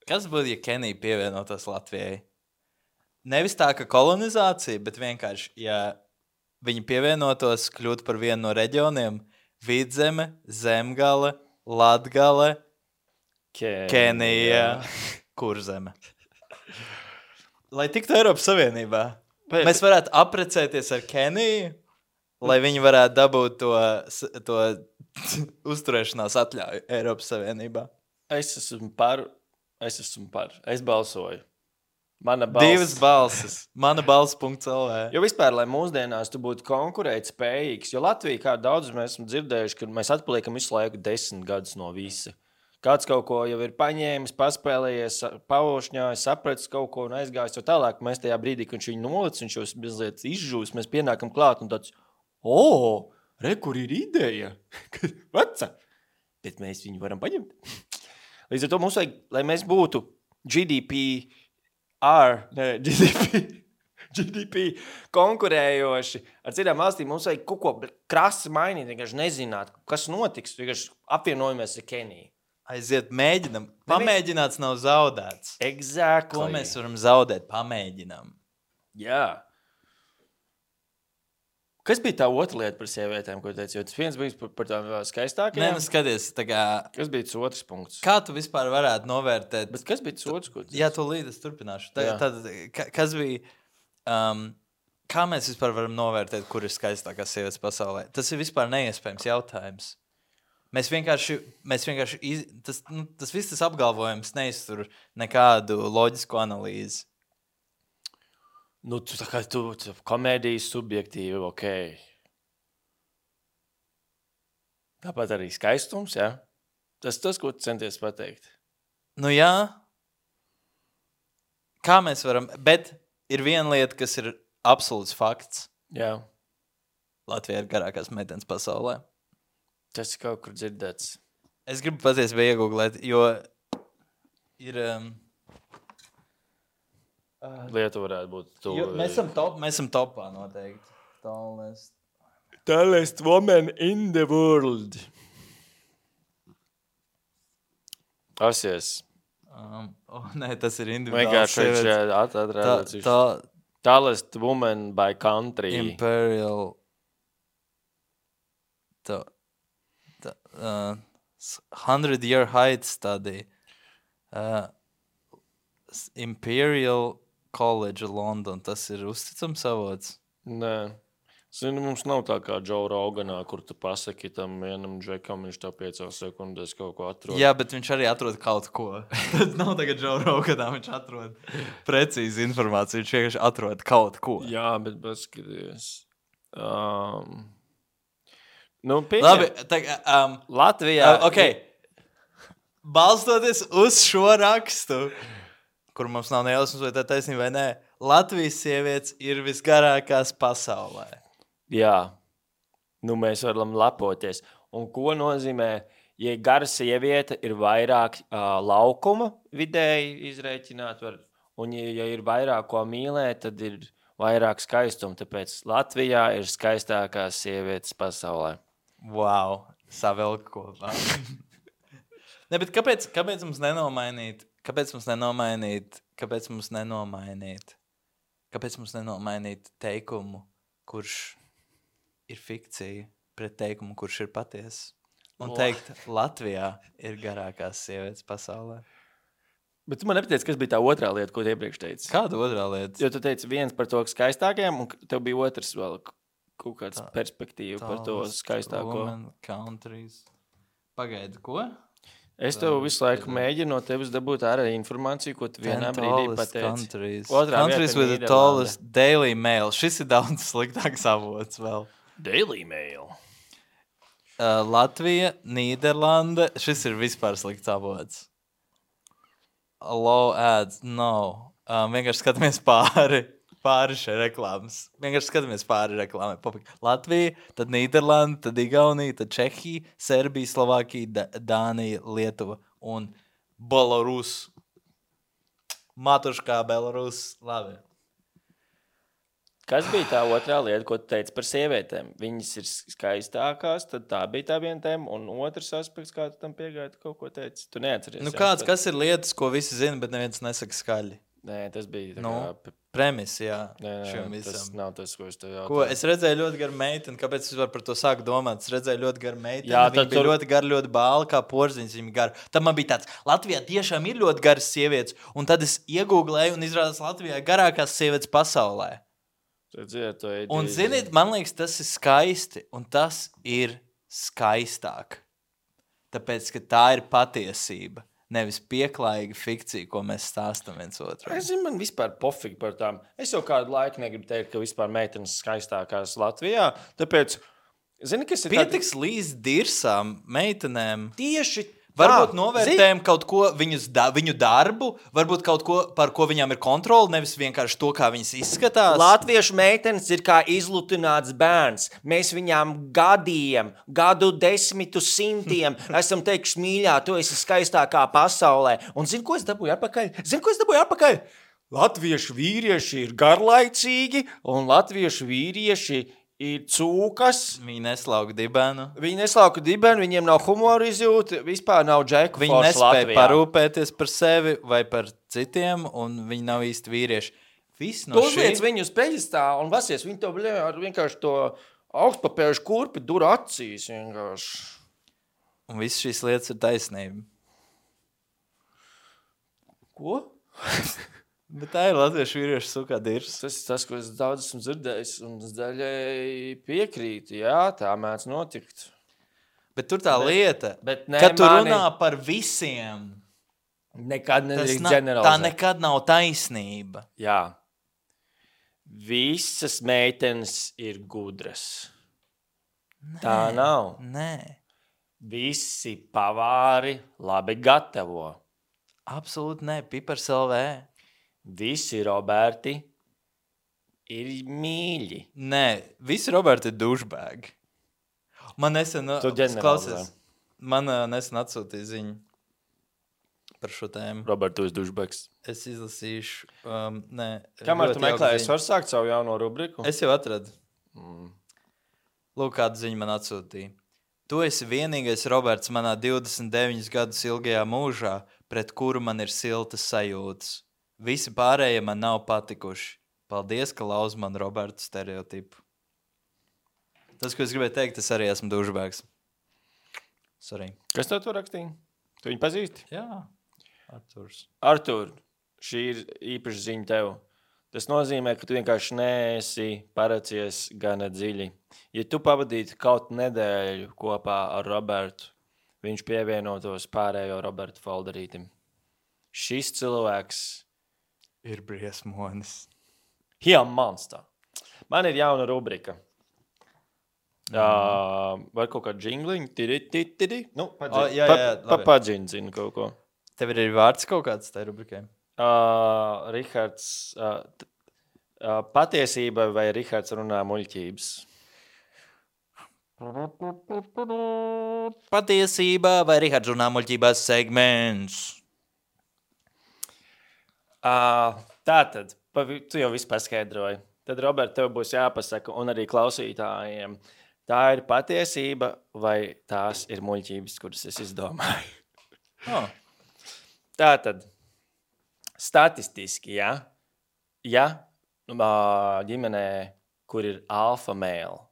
Kas būtu, ja Kenija pievienotos Latvijai? Nevis tā, ka kolonizācija, bet vienkārši, ja viņi pievienotos, kļūtu par vienu no reģioniem - Vidzeme, Zemgale, Latgale, Kenija, Kurzeme. Lai tiktu Eiropas Savienībā. Mēs varētu apprecēties ar Keniju, lai viņi varētu dabūt to uzturēšanās atļauju Eiropas Savienībā. Es esmu par. Es balsoju. Divas balsis. Mana balss.lv. Jo vispār, lai mūsdienās tu būtu konkurētspējīgs, jo Latvija, kā daudz mēs esam dzirdējuši, ka mēs atpaliekam visu laiku 10 gadus no visa. Kāds kaut ko jau ir paņēmis, paspēlējies, paušņājis, sapratis kaut ko un aizgājis. Jo tālāk mēs tajā brīdī, kad viņš viņu nolic, viņš jau mazliet izžūs, mēs pienākam klāt un tāds, kur ir ideja? Vaca! Bet mēs viņu varam paņemt. Līdz ar to mums vajag, lai mēs būtu GDP konkurējoši ar citām valstīm, mums vajag kaut ko krasi mainīt, vienkārši nezināt, kas notiks, vienkārši apvienojamies ar Keniju. Aiziet, mēģinam. Pamēģināts nav zaudēts. Exactly. Ko mēs varam zaudēt? Pamēģinam. Jā. Kas bija tā otra lieta par sievietēm, ko teici? Jo tas viens bija par tām skaistākajām? Nē, skaties, tā kā... Kas bija tas otrs punkts? Kā tu vispār varētu novērtēt? Bet kas bija tas otrs, ko teici? Jā, tu līdz es turpināšu. Kas bija... kā mēs vispār varam novērtēt, kur ir skaistākās sievietes pasaulē? Tas ir vispār neiespējams jautājums. Mēs vienkārši tas viss tas apgalvojums neiztur nekādu loģisku analīzi. Nu, tu komēdijas subjektīvi, ok. Tāpat arī skaistums, jā? Tas, ko tu centies pateikt. Nu jā. Kā mēs varam, bet ir viena lieta, kas ir absolūts fakts. Jā. Latvija ir garākās meitenes pasaulē. Tas ir kaut kur dzirdēts. Es gribu patiesībā iegooglēt, jo ir... Lietu varētu būt tu. Mēs esam topā noteikti. Tallest woman in the world. Asies. Nē, tas ir individuāls sievietes. Tallest woman by country. Imperial... 100-year height study. Imperial College London. Tas ir uzticams avots? Nē. Zini, mums nav tā kā Joe Roganā, kur tu pasaki tam vienam džekam, viņš tā 5 sekundēs kaut ko atrod. Jā, bet viņš arī atrod kaut ko. Tas nav tagad Joe Roganā, viņš atrod precīzi informāciju, viņš vienkārši atrod kaut ko. Jā, bet paskaties. Labi, Latvijā... Balstoties uz šo rakstu, kur mums nav nejausmas, vai tā taisnība vai nē, Latvijas sievietes ir visgarākās pasaulē. Jā. Mēs varam lepoties. Un ko nozīmē, ja gara sieviete ir vairāk laukuma vidēji izrēķināt, un ja ir vairāk ko mīlēt, tad ir vairāk skaistuma. Tāpēc Latvijā ir skaistākās sievietes pasaulē. Wow, savelk kopā. Ne, bet kāpēc mums nenomainīt? Kāpēc mums nenomainīt teikumu, kurš ir fikcija, pret teikumu, kurš ir patiesa? un teikt, Latvijā ir garākās sievietes pasaulē. Bet tu man nepateici, kas bija tā otrā lieta, ko tu iepriekš teici. Kāda otrā lieta? Jo tu teici viens par to skaistākajiem, un tev bija otrs vēl kaut kāds perspektīva par to skaistāko. Women countries. Pagaidi, ko? Es tev visu laiku mēģinu no tevis dabūt ārā informāciju, ko tu vienā brīdī pateici. Countries with the tallest Daily Mail. Šis ir daudz sliktāks avots vēl. Daily Mail. Latvija, Nīderlande. Šis ir vispār slikts avots. Low ads, no. Vienkārši skatāmies pāri šai reklāmas. Vienkārši skatāmies pāri reklāmai. Latvija, tad Nīderlanda, tad Igaunija, tad Čehija, Serbija, Slovākija, Dānija, Lietuva un Belarus. Matuškā Belarus. Labi. Kas bija tā otrā lieta, ko tu teici par sievietēm? Viņas ir skaistākās, tad tā bija tā viena tēma, un otrs aspekts, kā tu tam piegāji, kaut ko teici. Tu neatceries. Nu kāds, kas ir lietas, ko visi zina, bet neviens nesaka skaļi? Nē, tas bija tā kā... Premisa, jā. Nē, tas nav tas, ko es tev jautāju. Ko? Es redzēju ļoti garu meiteni, kāpēc es varu par to sāku domāt? Es redzēju ļoti garu meiteni, jā, viņa bija ļoti gara, ļoti bāla, kā porziņas viņa gara. Tad man bija tāds, Latvijā tiešām ir ļoti garas sievietes, un tad es iegūglēju un izrādās Latvijā garākās sievietes pasaulē. Un ziniet, man liekas, tas ir skaisti, un tas ir skaistāk. Tāpēc, ka tā ir patiesība. Nevis pieklājīga fikcija, ko mēs stāstam viens otru. Es zinu, man vispār pofīgi par tām. Es jau kādu laiku negribu teikt, ka vispār meitenes skaistākās Latvijā. Tāpēc, zini, kas ir pietiks līdz dirsām meitenēm. Tieši varbūt novērtējam kaut ko viņu darbu, varbūt kaut ko, par ko viņām ir kontrole, nevis vienkārši to, kā viņas izskatās. Latviešu meitenes ir kā izlutināts bērns. Mēs viņām gadu desmitu simtiem esam teikuši, mīļā, tu esi skaistākā pasaulē. Un zini, ko es dabūju atpakaļ? Latviešu vīrieši ir garlaicīgi, un latviešu vīrieši ir cūkas. Viņi neslauka dibenu. Viņiem nav humora izjūta, vispār nav džeku viņi forša Latvijā. Viņi nespēja parūpēties par sevi vai par citiem, un viņi nav īsti vīrieši. Tu uzliec viņu uz peļastā un vasies, viņi to ar vienkārši to augstpapēžu kurpi dur acīs vienkārši. Un visas šīs lietas ir taisnība. Ko? Bet tā ir latviešu vīriešu sukā dirs. Tas ir tas, ko es daudz esmu dzirdējis, un es daļai piekrītu. Jā, tā mēdz notikt. Bet tur tā lieta, ne, kad tu runā par visiem, nekad nedrīkst ģeneralizēt. Tā nekad nav taisnība. Jā. Visas meitenes ir gudras. Tā nav. Nē. Visi pavāri labi gatavo. Absolūti nē, Pipars LV. Visi Roberti ir mīļi. Nē, visi Roberti ir douchebagi. Man nesen atsūtīja ziņu par šo tēmu. Robert, tu esi douchebags. Es izlasīšu. Kamēr tu meklēji, es varu sākt savu jauno rubriku? Es jau atradu. Lūk, kādu ziņu man atsūtīja. Tu esi vienīgais Roberts manā 29 gadus ilgajā mūžā, pret kuru man ir siltas sajūtas. Visi pārējie man nav patikuši. Paldies, ka lauz man Robertu stereotipu. Tas, ko es gribēju teikt, es arī esmu douchebags. Sorry. Kas tev to rakstīja? Tu viņu pazīsti? Jā, Arturs. Artur, šī ir īpaša ziņa tev. Tas nozīmē, ka tu vienkārši neesi paracies gana dziļi. Ja tu pavadītu kaut nedēļu kopā ar Robertu, viņš pievienotos pārējo Robertu folderītim. Šis cilvēks ir briesmonis. Here monster. Man ir jauna rubrika. Var kaut kā džingliņu? Nu, paģiņ zinu kaut ko. Tev ir arī vārds kaut kāds tai rubrikai? Rihards, patiesība vai Rihards runā muļķības? Patiesība vai Rihards runā muļķībās segments? Tātad, tu jau visu paskaidroji. Tad, Robert, tev būs jāpasaka, un arī klausītājiem, tā ir patiesība vai tās ir muļķības, kuras es izdomāju. Tātad, statistiski, ja ģimenē, kur ir alfa male,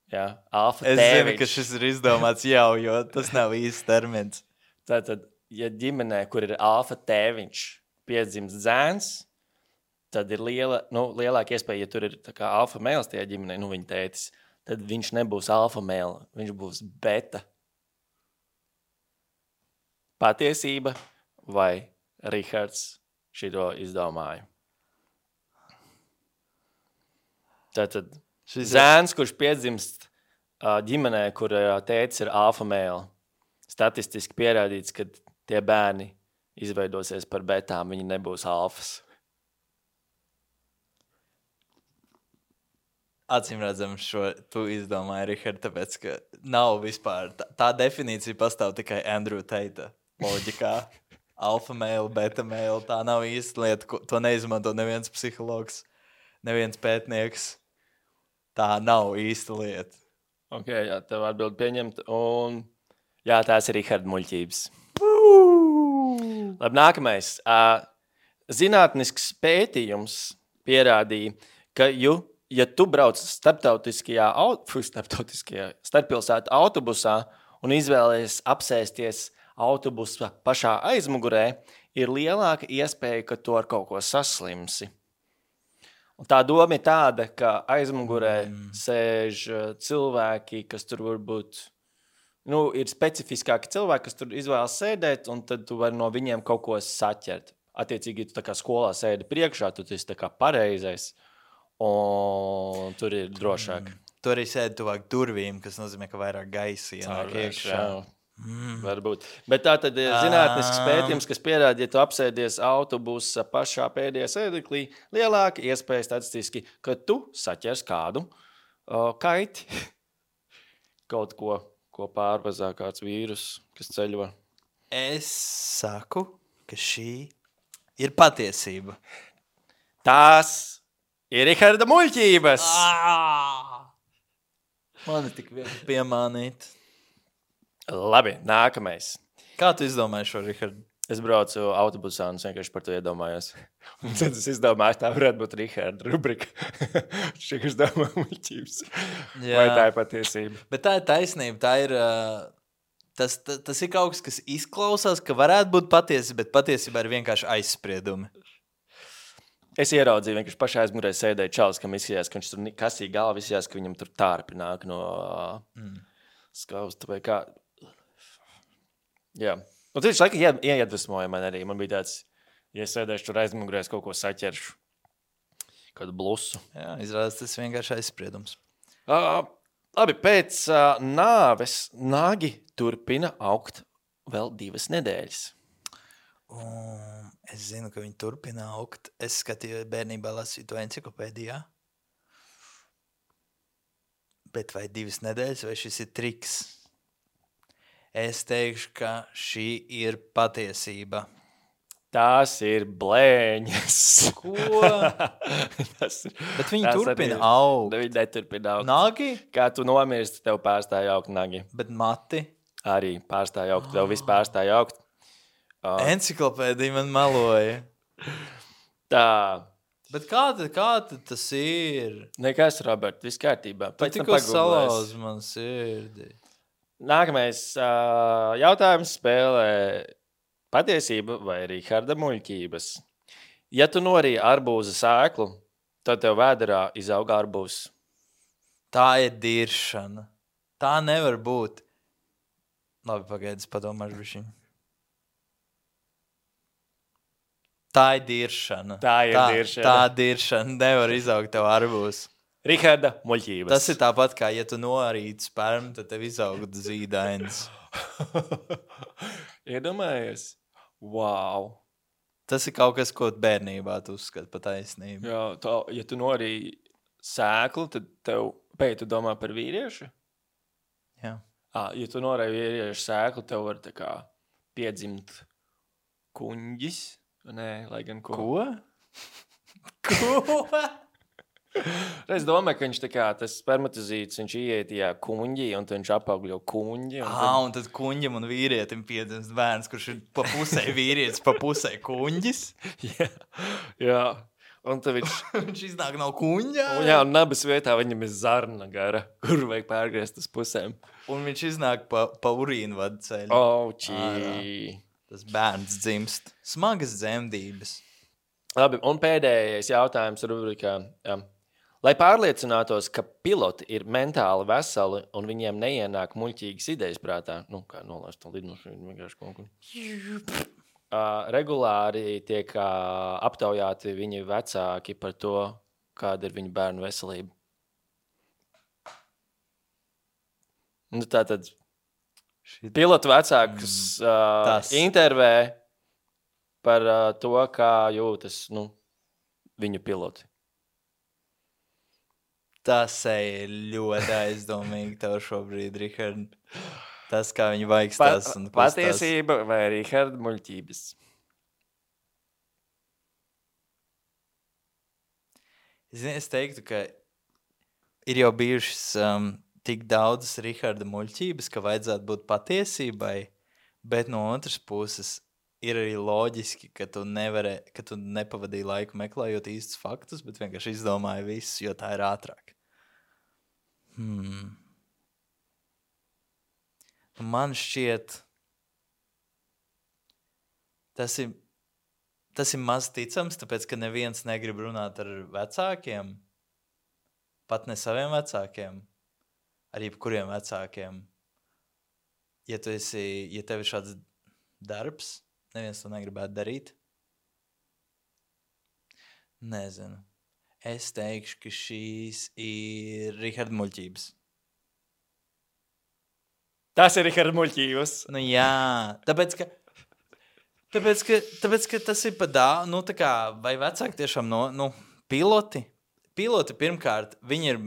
Jā, alfa Es zinu, tēviņš. ka šis ir izdomāts jau, jo tas nav īsts termins. Tātad, ja ģimenē, kur ir alfa tēviņš, piedzimst zēns, tad ir lielāka iespēja, ja tur ir tā kā alfa mēls tajā ģimenē, viņa tētis, tad viņš nebūs alfa mēl, viņš būs beta. Patiesība vai Rihards šito izdomāja? Tātad zēns, kurš piedzimst ģimenē, kur tētis ir alfa mēl, statistiski pierādīts, ka tie bērni izveidosies par betām, viņi nebūs alfas. Acīm redzam, šo tu izdomāji, Rihard, tāpēc, ka nav vispār. Tā definīcija pastāv tikai Andrew Tate loģikā. Alfa mēl, beta mēl, tā nav īsta lieta. To neizmanto neviens psihologs, neviens pētnieks. Tā nav īsta lieta. Ok, jā, tev atbildi pieņemt. Un jā, tās ir Riharda muļķības. Labi, nākamais. Zinātnisks pētījums pierādīja, ka ja tu brauc starppilsētu autobusā un izvēlies apsēsties autobusa pašā aizmugurē, ir lielāka iespēja, ka tu ar kaut ko saslimsi. Un tā doma ir tāda, ka aizmugurē sēž cilvēki, kas tur varbūt ir specifiskāki cilvēki, kas tur izvēlas sēdēt, un tad tu vari no viņiem kaut ko saķert. Attiecīgi, ja tu tā kā skolā sēdi priekšā, tu esi tā kā pareizais. Un tur ir drošāk. Tur arī sēdi tuvāk durvīm, kas nozīmē, ka vairāk gaisa ienāk iekšā. Varbūt. Bet tā tad ir zinātnisks pētījums, kas pierāda, ja tu apsēdies autobusa pašā pēdējā sēdeklī, lielāka iespēja statistiski, ka tu saķers kādu kaiti. Kaut ko pārvazā kāds vīrus, kas ceļo. Es saku, ka šī ir patiesība. Tās ir Riharda muļķības. Man ir tik viegli piemānīt. Labi, nākamais. Kā tu izdomāji šo, Rihardu? Es braucu autobusā un vienkārši par to iedomājos. Un tad es izdomāju, tā varētu būt Riharda rubrika. Šī izdomā muļķības. Vai tā ir patiesība? Bet tā ir taisnība. Tā ir, tas ir kaut kas izklausās, ka varētu būt patiesi, bet patiesībā ir vienkārši aizspriedumi. Es ieraudzīju, vienkārši pašā aizmugurē sēdēja čalis, kam izskatījās, ka viņš tur kasīja galvu, izskatījās, ka viņam tur tārpi nāk no skausta vai kā. Jā. Un viņš laikam iedvesmoja man arī. Man bija tāds, ja es sēdēšu tur aizmugurē, es kaut ko saķeršu. Kādu blusu. Jā, izrādās tas vienkārši aizspriedums. Labi, pēc nāves nagi turpina augt vēl 2 nedēļas. Es zinu, ka viņi turpina augt. Es skatīju, bērnībā lasīju to enciklopēdijā. Bet vai 2 nedēļas, vai šis ir triks? Es teikšu, ka šī ir patiesība. Tās ir blēņas. Ko? Bet viņi turpina augt. Viņi neturpina augt. Nagi? Kā tu nomirsti, tev pārstāja augt nagi. Bet mati? Arī pārstāja augt, tev viss pārstāja augt. Enciklopēdija man meloja. Tā. Bet kā tad tas ir? Nekas, Robert, viss kārtībā. Tu tikko salauz man sirdi. Nākamais jautājums spēlē patiesība vai Riharda muļķības. Ja tu norīji arbūza sēklu, tad tev vēderā izauga arbūzs. Tā ir diršana. Tā nevar būt. Labi, pagaidzi, padomāšu bišķiņ. Tā ir diršana. Tā diršana. Nevar izaugt tev arbūs. Riharda muļķības. Tas ir tāpat kā, ja tu norīti spermu, tad tev izaugt zīdains. Iedomājies? Wow. Tas ir kaut kas, ko bērnībā tu uzskati par taisnību. Jā, ja tu norīji sēklu, tad tev, tu domā par vīriešu? Jā. Ja tu norīji vīriešu sēklu, tev var tā kā piedzimt kuņģis. Nē, lai gan ko? Ko? Es domāju, ka viņš tā kā tas spermatozīts, viņš ieiet tajā kuņģī, un viņš apaugļo kuņģi. Un tad kuņģim un vīrietim piedzimst bērns, kurš ir pa pusē vīrietis, pa pusē kuņģis. Jā. Un tad viņš, Viņš iznāk no kuņģa. un nabas vietā viņam ir zarna gara, kur vajag pārgriezt uz pusēm. Un viņš iznāk pa urīnu vadu ceļu. Aučī. Tas bērns dzimst. Smagas dzemdības. Labi, un pēdējais jautājums rubrikā. Lai pārliecinātos, ka piloti ir mentāli veseli un viņiem neienāk muļķīgas idejas prātā, kā nolaist to lidmašīnu, vienkārši kaut ko. Regulāri tiek aptaujāti viņi vecāki par to, kāda ir viņu bērnu veselība. Tātad pilotu vecākus intervē par to, kā jūtas viņu piloti. Tas ir ļoti aizdomīgi tev šobrīd, Rihard. Tas, kā viņi vaikstās un kustās. Patiesība vai Riharda muļķības? Es teiktu, ka ir jau bijušas tik daudzas Riharda muļķības, ka vajadzētu būt patiesībai, bet no otras puses ir arī loģiski, ka tu nepavadīji laiku meklējot īstus faktus, bet vienkārši izdomāji visus, jo tā ir ātrāk. Man šķiet, tas ir maz ticams, tāpēc, ka neviens negrib runāt ar vecākiem, pat ne saviem vecākiem, ar jebkuriem vecākiem. Ja tev ir šāds darbs, neviens to negribētu darīt. Nezinu. Es teikšu, ka šīs ir Riharda muļķības. Tas ir Riharda muļķības. Jā, tāpēc, ka tas ir tā kā, vai vecāki tiešām piloti? Piloti pirmkārt, viņi ir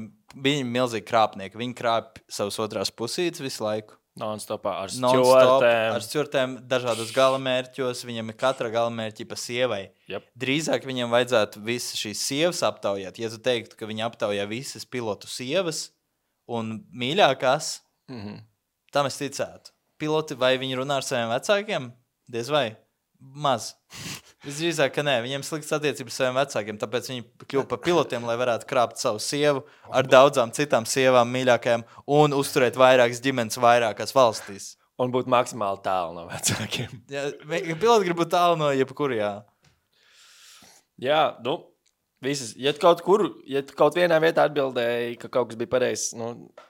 milzīgi krāpnieki. Viņi krāp savus otrās pusītes visu laiku. Non-stopā ar stjortēm, dažādos galamērķos. Viņam ir katra galamērķi pa sievai. Yep. Drīzāk viņam vajadzētu visas šīs sievas aptaujāt. Ja tu teiktu, ka viņi aptaujā visas pilotu sievas un mīļākās, tam es ticētu. Piloti, vai viņi runā ar saviem vecākiem? Diez vai? Maz. Visdrīzāk, ka nē. Viņiem sliktas attiecības ar saviem vecākiem, tāpēc viņi kļuva par pilotiem, lai varētu krāpt savu sievu ar daudzām citām sievām mīļākajām un uzturēt vairākas ģimenes vairākās valstīs. Un būt maksimāli tālu no vecākiem. Jā, piloti grib būt tālu no jebkurā. Jā, visas, ja kaut vienā vietā atbildēji, ka kaut kas bija pareizs,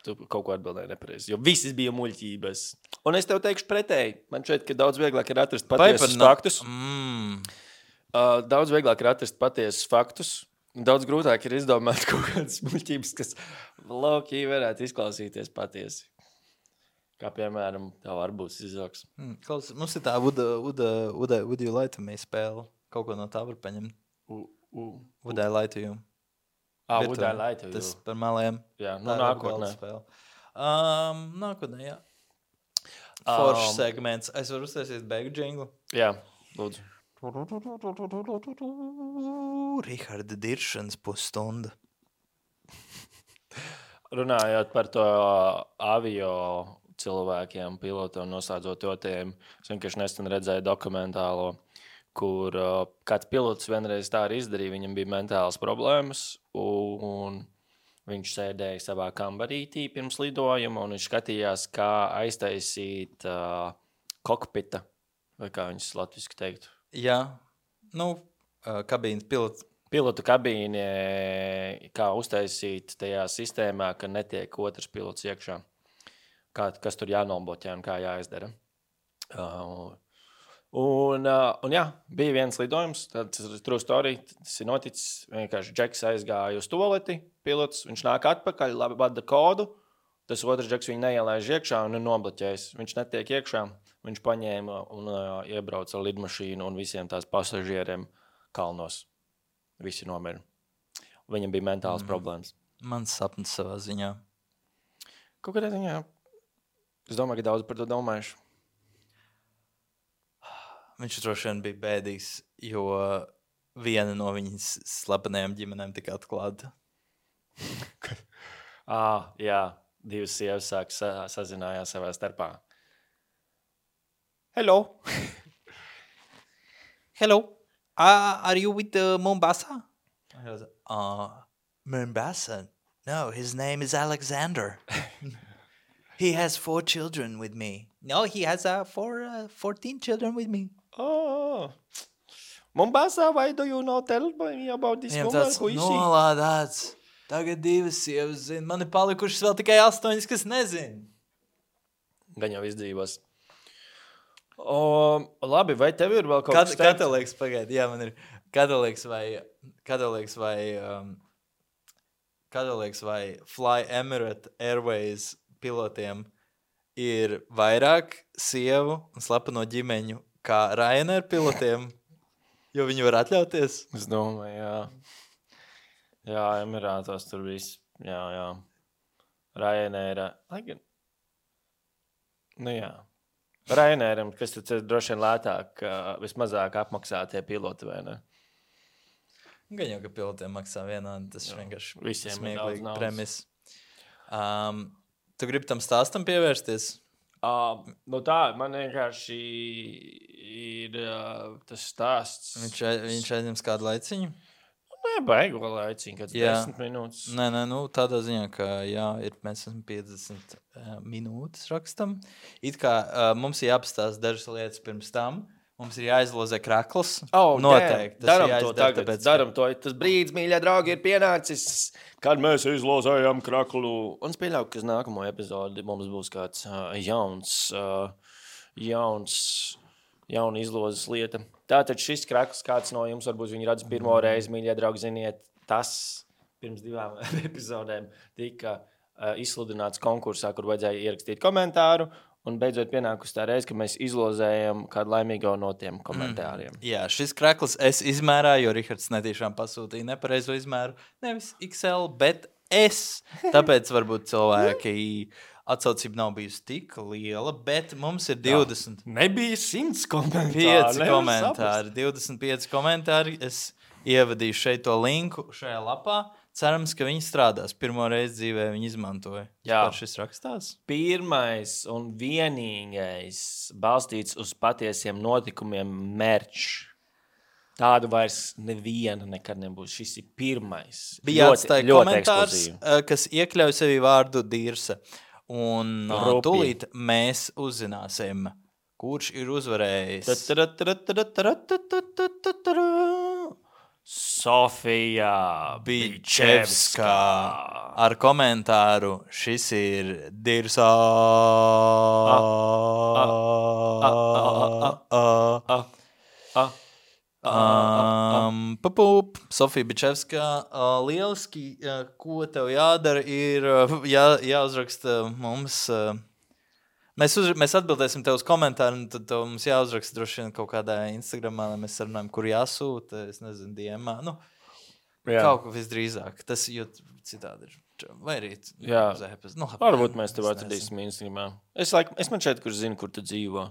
tu kaut ko atbildēji nepareizi, jo visas bija muļķības. Un es tev teikšu pretēji. Man šķiet, ka daudz vieglāk ir atrast patiesus faktus. Daudz vieglāk ir atrast patiesus faktus. Daudz grūtāk ir izdomāt kaut kādas muļķības, kas lokī varētu izklausīties patiesi. Kā piemēram, tev arbūs izaugs. Mums ir tā Would you lie to me spēle. Kaut ko no tā var paņemt. Would I lie to you? Would I lie to you? Tas par maliem. Jā, nākotnē. Nākotnē, jā. Foršs segments. Es varu uztaisīt beigu džinglu? Jā, lūdzu. Riharda diršanas pusstunda. Runājot par to avio cilvēkiem, pilotiem, noslēdzot to tēmu, es vienkārši nesen redzēju dokumentālo, kur kāds pilots vienreiz tā arī izdarīja. Viņam bija mentālas problēmas, un viņš sēdēja savā kambarītī pirms lidojuma, un viņš skatījās, kā aiztaisīt kokpita, vai kā viņas latviski teiktu. Jā, kabīnes pilots. Pilotu kabīne, kā uztaisīt tajā sistēmā, ka netiek otrs pilots iekšā. Kas tur jānobloķē un kā jāizdara. Un jā, bija viens lidojums, tas ir true story, tas ir noticis, vienkārši Džeks aizgāja uz tualeti, pilots, viņš nāk atpakaļ, labi vada kodu, tas otrs Džeks viņu neielaiž iekšā un ir nobloķējis. Viņš netiek iekšā, viņš paņēma un iebrauca ar lidmašīnu un visiem tās pasažieriem kalnos. Visi nomira. Viņam bija mentāls problēmas. Mans sapnis savā ziņā. Kaut kādā ziņā, es domāju, ka daudz par to domājuši. Viņš droši vien bija bēdīgs, jo viena no viņas slepenajām ģimenēm tika atklāta. Jā, divas sievas sazinājās savā starpā. Hello. Hello. Are you with Mombasa? Mombasa. No, his name is Alexander. He has 4 children with me. No, he has 14 children with me. Oh. Mombasa, why do you not tell me about this Viņam woman? tāds Who is she? nolādāts. Tagad 2 sievas zina. Man ir palikušas vēl tikai 8, kas nezina. Gan jau izdzīvos. Labi, vai tev ir vēl kaut kas tāds? Katoliks, pagaidi, jā, man ir Katoliks vai Fly Emirates Airways pilotiem ir vairāk sievu un slepeno ģimeņu kā Ryanair pilotiem, jo viņi var atļauties. Es domāju, jā. Jā, Emirātos tur viss. Jā. Ryanair. Nu jā. Ryanairam, kas tad ir droši vien lētāk, vismazāk apmaksātie piloti, vai ne? Gan jau, ka pilotiem maksā vienādi, tas vienkārši visiem smieklīgi ir daudz premis. Tu gribi tam stāstam pievērsties? Nu tā, man vienkārši ir tas stāsts. Viņš aizņems kādu laiciņu? Nē, baigo laiciņu, kāds 10 minūtes. Nē, tādā ziņā, ka mēs esam 50 minūtes rakstam. It kā mums ir jāpastāst dažas lietas pirms tam. Mums ir jāizlozē krakls. Noteikti. Daram to tagad. Daram to. Tas brīdis, mīļie draugi, ir pienācis, kad mēs izlozējam kraklu. Un es pieļauju, ka uz nākamo epizodi mums būs kāds jauna izlozes lieta. Tātad šis krakls, kāds no jums varbūt viņu redz pirmo reizi, mīļie draugi, ziniet, tas pirms 2 epizodēm tika izsludināts konkursā, kur vajadzēja ierakstīt komentāru. Un beidzot pienākusi tā reize, ka mēs izlozējam kādu laimīgo no tiem komentāriem. Jā, šis krakls es izmērāju, jo Rihards netīšām pasūtīja nepareizo izmēru. Nevis XL, bet S. Tāpēc varbūt cilvēki atsaucība nav bijusi tik liela, bet mums ir 20. Nebija 100 komentāri. 5 komentāri, 25 komentāri. Es ievadīšu šeit to linku šajā lapā. Cerams, ka viņi strādās. Pirmo reizi dzīvē viņi izmantoja. Jā. Par šis rakstās? Pirmais un vienīgais balstīts uz patiesiem notikumiem merch. Tādu vairs neviena nekad nebūs. Šis ir pirmais. Bija jāatstāja komentārs, kas iekļauj sevi vārdu Dirsa. Un tūlīt mēs uzzināsim, kurš ir uzvarējis. Sofija Bičevska ar komentāru šis ir Dirsa. Sofija Bičevska, lieliski, ko tev jādara, ir jāuzraksta mums. Mēs atbildēsim tev uz komentāru, un tad mums jāuzraksta droši vien kaut kādā Instagramā, lai mēs sarunājam, kur jāsūta, es nezinu, DMā. Kaut ko visdrīzāk. Tas, jo citādi ir. Vai arī zēpes. Varbūt mēs tev atradīsim Instagramā. Es man šeit, kur zinu, kur tu dzīvo.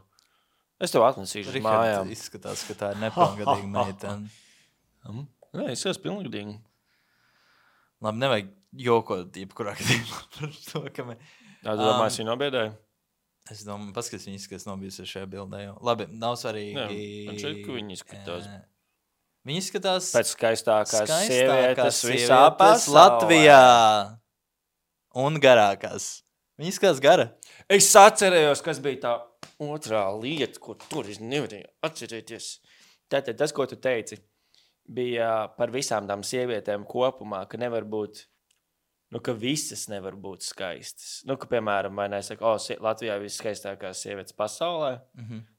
Es tev atnesīšu uz mājām. Izskatās, ka tā ir nepilngadīga meitene. Nē, es esmu pilngadīga. Labi, nevajag jokot jebkurā gadījumā par to, ka Tu domāji, viņa nobiedēja? Es domāju, paskatās, viņa izskatās nobijusi šajā bildē. Labi, nav svarīgi. Man šeit, ka viņa izskatās. Viņa izskatās pēc skaistākās sievietes visā pasaulē. Latvijā. Un garākās. Viņa izskatās gara. Es atcerējos, kas bija tā otrā lieta, ko tur es nevarēju atcerēties. Tātad tas, ko tu teici, bija par visām tām sievietēm kopumā, ka nevar būt, ka visas nevar būt skaistas. Ka, piemēram, vai nesaka, Latvijā ir viskaistākās sievietes pasaulē.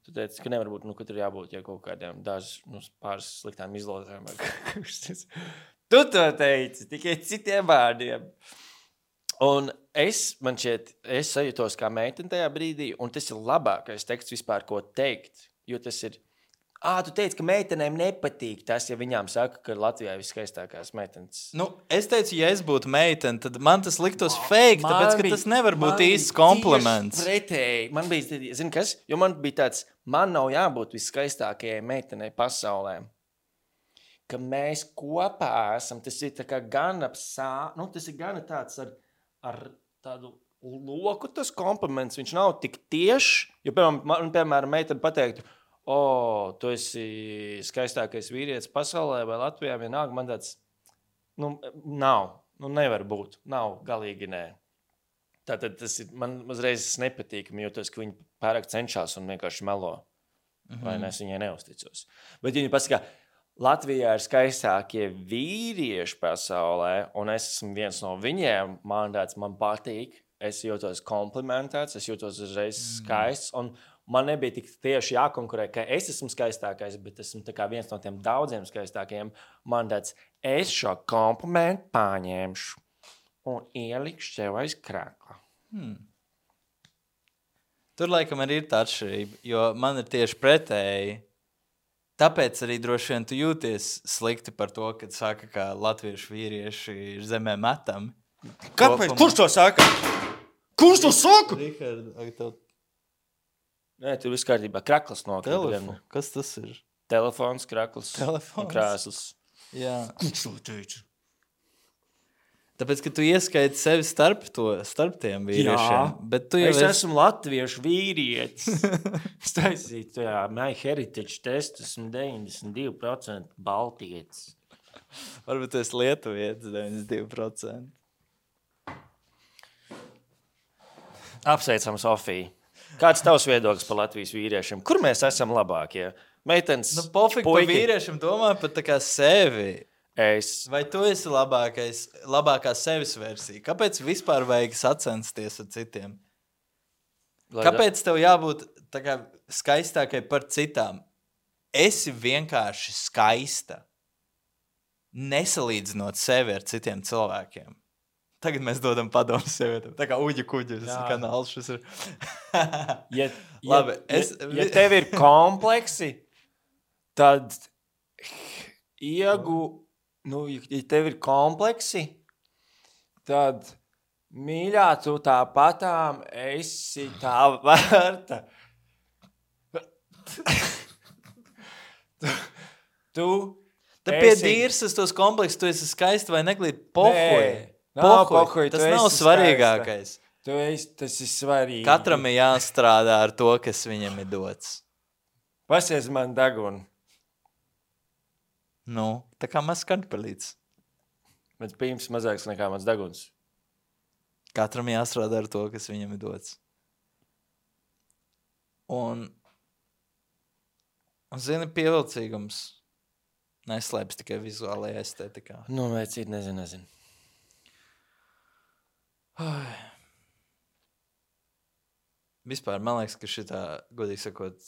Tu teici, ka nevar būt, ka tur jābūt kaut kādiem pāris sliktām izlozēm. Tu to teici, tikai citiem vārdiem. Un es sajūtos kā meitene tajā brīdī, un tas ir labākais teksts vispār, ko teikt. Jo tas ir, tu teici, ka meitenēm nepatīk tas, ja viņām saka, ka Latvijā ir viskaistākās meitenes. Es teicu, ja es būtu meitene, tad man tas liktos fake, tāpēc, ka tas nevar būt īsts kompliments. Pretēji, man bija, zini kas? Jo man bija tāds, man nav jābūt viskaistākajai meitenei pasaulē. Ka mēs kopā esam, tas ir tā kā gana tas ir gana tāds ar tādu loku tas kompliments, viņš nav tik tieši, jo, piemēram, meitene pateiktu, tu esi skaistākais vīrietis pasaulē vai Latvijā, vienalga, man tāds, Nav. Nevar būt. Nav galīgi nē. Tātad tas ir man uzreiz nepatīkami, jo tas, ka viņi pārāk cenšas un vienkārši melo. Vai ne? Es viņai neusticos. Bet viņi pasaka, Latvijā ir skaistākie vīrieši pasaulē, un es esmu viens no viņiem. Man patīk. Es jūtos komplimentēts, es jūtos uzreiz skaists. Un man nebija tik tieši jākonkurē, ka es esmu skaistākais, bet esmu viens no tiem daudziem skaistākajiem. Man tāds, es šo komplimentu paņemšu un ielikšu tev aiz krākla. Tur laikam arī ir tā atšķirība, jo man ir tieši pretēji. Tāpēc arī droši vien tu jūties slikti par to, kad saka, ka latviešu vīrieši ir zemē metami. Kāpēc? Kurš to saka? Kurš to saka? Rihard, Nē, tur viss kārtībā. Krakls telefons. Kas tas ir? Telefons, krakls un krēsls. Jā. Kurš to teica? Tāpēc, ka tu ieskaiti sevi starp tiem vīriešiem. Bet tu jau esmu latviešu vīrietis. Es taisīju My Heritage testu, esmu 92% baltietis. Varbūt tu esi lietuvietis 92%. Apsveicam, Sofija. Kāds tavs viedoklis par Latvijas vīriešiem? Kur mēs esam labākie? Meitenes, Pofīgi par vīriešiem domā pat tā kā sevi. Vai tu esi labākā sevis versija? Kāpēc vispār vajag sacensties ar citiem? Kāpēc tev jābūt tā kā skaistākai par citām? Esi vienkārši skaista, nesalīdzinot sevi ar citiem cilvēkiem. Tagad mēs dodam padomu sievietēm. Tā kā uģi kuģis kanāls šis ir. Labi, ja tev ir kompleksi, tad ja tev ir kompleksi, tad mīļā, tu tāpatām esi tā vērta. Tad pie dīrsas tos kompleksus tu esi skaista vai neglīt pohuj. Tas nav svarīgākais. Tas ir svarīgi. Katram ir jāstrādā ar to, kas viņam ir dots. Pasies man degunu. Tā kā maz kartupelītes. Bet pīms mazāks nekā mans deguns. Katram jāstrādā ar to, kas viņam ir dots. Un zini, pievilcīgums neslēpjas tikai vizuālajā estetikā. Vai citi nezinu. Vispār, man liekas, ka šitā, godīgi sakot,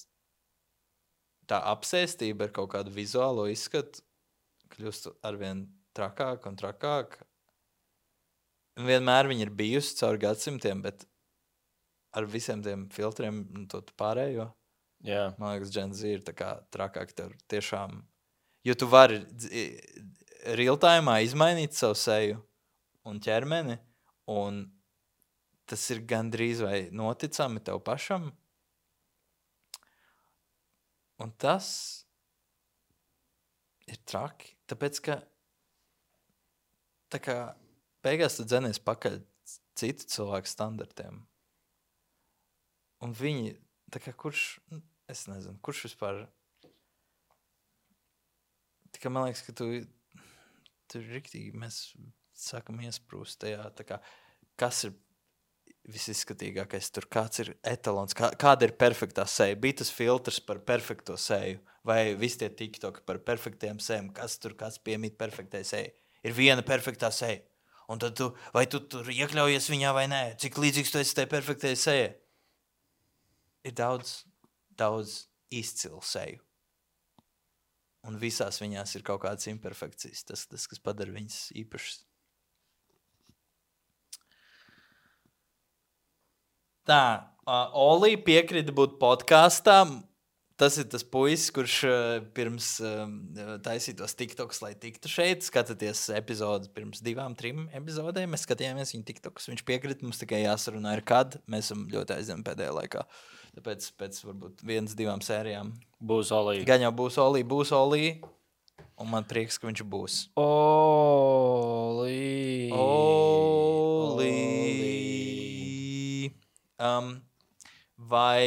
tā apsēstība ar kaut kādu vizuālo izskatu kļūst arvien trakāk un trakāk. Vienmēr viņa ir bijusi caur gadsimtiem, bet ar visiem tiem filtriem to pārējo. Jā. Man liekas, Gen Z ir tā kā trakāk tev tiešām. Jo tu vari real-time izmainīt savu seju un ķermeni, un tas ir gandrīz vai noticami tev pašam. Un tas ir traki, tāpēc, ka tā kā beigās tu dzenies pakaļ citu cilvēku standartiem. Un viņi, tā kā es nezinu, kurš vispār, tā kā man liekas, ka tu riktīgi mēs sākam iesprūst tajā, tā kā, kas ir visizskatīgākais tur, kāds ir etalons, kāda ir perfektā seja, bija tas filtrs par perfekto seju, vai visi tie tiktoki par perfektiem sejām, kāds piemīt perfektai seja. Ir viena perfektā seja, un tad vai tu tur iekļaujies viņā vai nē, cik līdzīgs tu esi tai perfektai seja. Ir daudz izcilu seju. Un visās viņās ir kaut kādas imperfekcijas, tas kas padara viņas īpašas. Tā, Olī piekrita būt podkāstā. Tas ir tas puisis, kurš pirms taisītos TikToks, lai tiktu šeit. Skatieties epizodus pirms 2-3 epizodēm. Mēs skatījāmies viņa TikToks. Viņš piekrita, mums tikai jāsarunā ir kad. Mēs esam ļoti aizņemti pēdējā laikā. Tāpēc pēc varbūt 1-2 sērijām. Būs Olī. Gan jau būs Olī. Un man prieks, ka viņš būs. Olī. Vai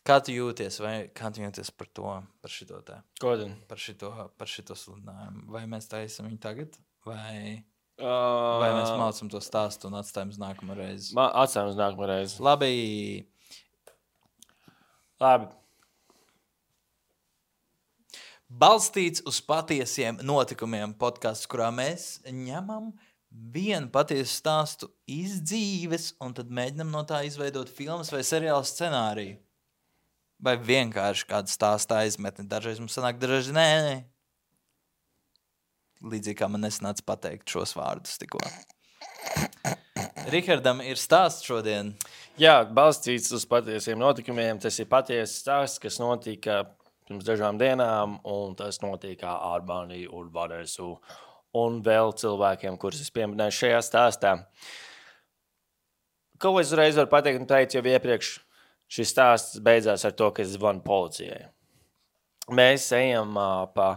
Kā tu jūties, vai kā tu jūties par to, par šito tā? Ko tad? Par šito sludinājumu? Vai mēs taisam viņu tagad, vai Vai mēs mācam to stāstu un atstājam uz nākamo reizi? Atstājam uz nākamo reizi. Labi. Balstīts uz patiesiem notikumiem podcasts, kurā mēs ņemam vienu patiesu stāstu iz dzīves un tad mēģinam no tā izveidot filmas vai seriāla scenāriju. Vai vienkārši kādu stāstu aizmetni. Dažreiz mums sanāk, dažreiz nē. Līdzīgi kā man nesanāca pateikt šos vārdus tikko. Rihardam ir stāsts šodien. Jā, balstīts uz patiesiem notikumiem. Tas ir patiesas stāsts, kas notika pirms dažām dienām, un tas notika Arbānī un Vanesu un vēl cilvēkiem, kurus es pieminēju šajā stāstā. Ko es uzreiz varu pateikt un teicu jau iepriekš, šis stāsts beidzās ar to, ka es zvanu policijai. Mēs ejam pa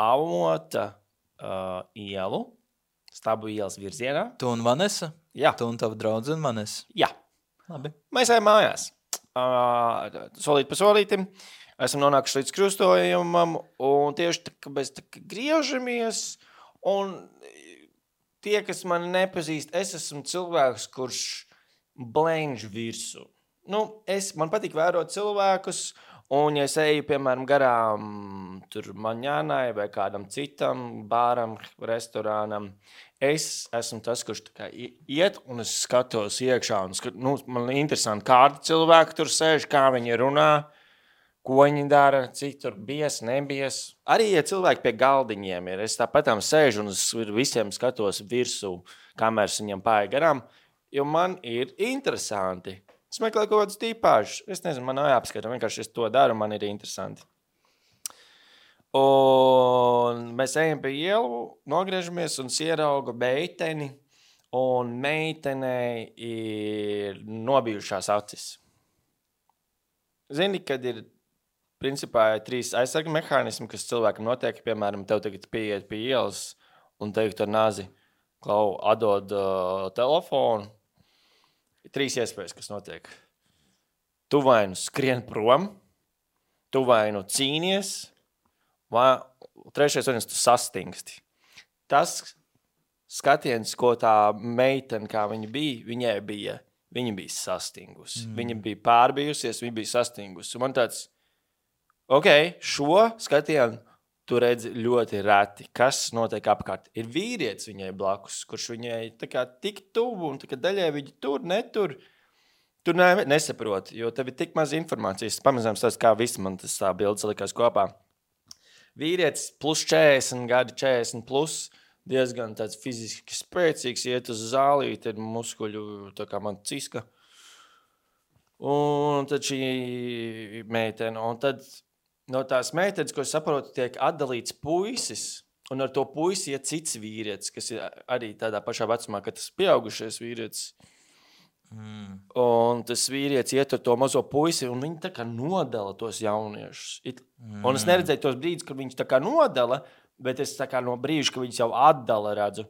Avota ielu, Stabu ielas virzienā. Tu un Vanesa? Jā. Tu un tava draudzene Vanesa? Jā. Labi. Mēs ejam mājās. Solīt pa solītim. Esam nonākuši līdz krustojumam, un tieši tā, ka mēs tā griežamies, un tie, kas mani nepazīst, es esmu cilvēks, kurš blenž virsū. Man patīk vērot cilvēkus, un ja es eju, piemēram, garām tur Maņānai vai kādam citam bāram, restorānam, es esmu tas, kurš tā kā iet, un es skatos iekšā, un man ir interesanti, kādi cilvēki tur sēž, kā viņi runā, ko viņi dara, cik tur bies, nebies. Arī, ja cilvēki pie galdiņiem ir, es tāpatām sēžu un es visiem skatos virsū, kameras viņam pāri garām, jo man ir interesanti. Es meklēju kaut kādus tīpāžus. Es nezinu, man nav jāpaskata, vienkārši es to daru, man ir interesanti. Un mēs ejam pie ielu, nogriežamies un ierauga meiteni, un meitenei ir nobijušās acis. Zini, kad ir principā ir 3 aizsarga mehānismi, kas cilvēkam notiek, piemēram, tev tagad pieiet pie ielas un teikt ar nazi, Klau, atdod telefonu. 3 iespējas, kas notiek. Tu vai nu skrien prom, tu vai nu cīnies, vai 3. variants tu sastingsti. Tas skatiens, ko tā meitene, kā viņa bija, viņa bija sastingusi. Viņa bija pārbijusies, viņa bija sastingusi. Un man tāds, šo skatienu tu redzi ļoti reti. Kas notiek apkārt? Ir vīrietis viņai blakus, kurš viņai tā kā tik tuvu un tā kā daļai viņa netur. Tu nesaproti, jo tev ir tik maz informācijas. Pamazām stāst, kā viss man tas tā bilde salikās kopā. Vīrietis plus 40 gadi, 40 plus, diezgan tāds fiziski spēcīgs, iet uz zālīti, ir muskuļu, tā kā man ciska. Un tad šī meitene, un tad no tās meitenes, ko es saprotu, tiek atdalīts puisis, un ar to puisi iet cits vīrietis, kas ir arī tādā pašā vecumā, ka tas pieaugušais vīrietis. Un tas vīrietis iet ar to mazo puisi, un viņi tā kā nodala tos jauniešus. Un es neredzēju tos brīdus, kad viņus tā kā nodala, bet es tā kā no brīža, ka viņus jau atdala redzu.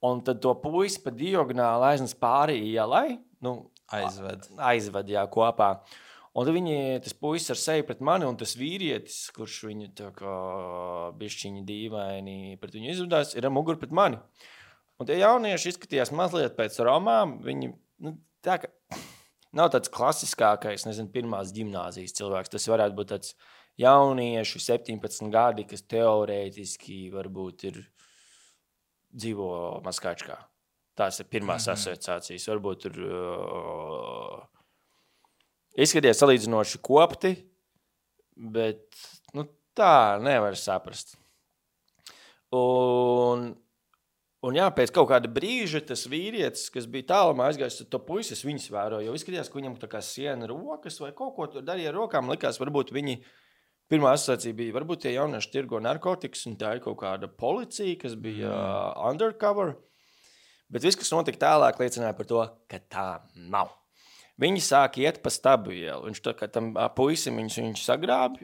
Un tad to puisi pa diagonāli aiznes pāri ielai, aizved, jā, kopā. Un tad tas puisis ar seju pret mani, un tas vīrietis, kurš viņu tā kā bišķiņi dīvaini pret viņu izvedās, ir ar muguru pret mani. Un tie jaunieši izskatījās mazliet pēc romām, viņi, tā kā, nav tāds klasiskākais, nezinu, pirmās ģimnāzijas cilvēks. Tas varētu būt tāds jaunieši, 17 gadi, kas teorētiski varbūt ir dzīvo Maskačkā. Tās ir pirmās asociācijas. Varbūt tur izskaties salīdzinoši kopti, bet tā nevar saprast. Un jā, pēc kaut kāda brīža tas vīrietis, kas bija tālumā aizgājis ar to puisis, viņus vēro, jo izskatījās, ka viņam tā kā siena rokas vai kaut ko tur darīja ar rokām, likās, varbūt viņi pirmā asociācija bija, varbūt tie jaunieši tirgo narkotikas, un tā ir kaut kāda policija, kas bija undercover. Bet viss, kas notika tālāk, liecināja par to, ka tā nav. Viņi sāk iet pa Stabu ielu. Viņš tā kā tam puisim viņš sagrābi,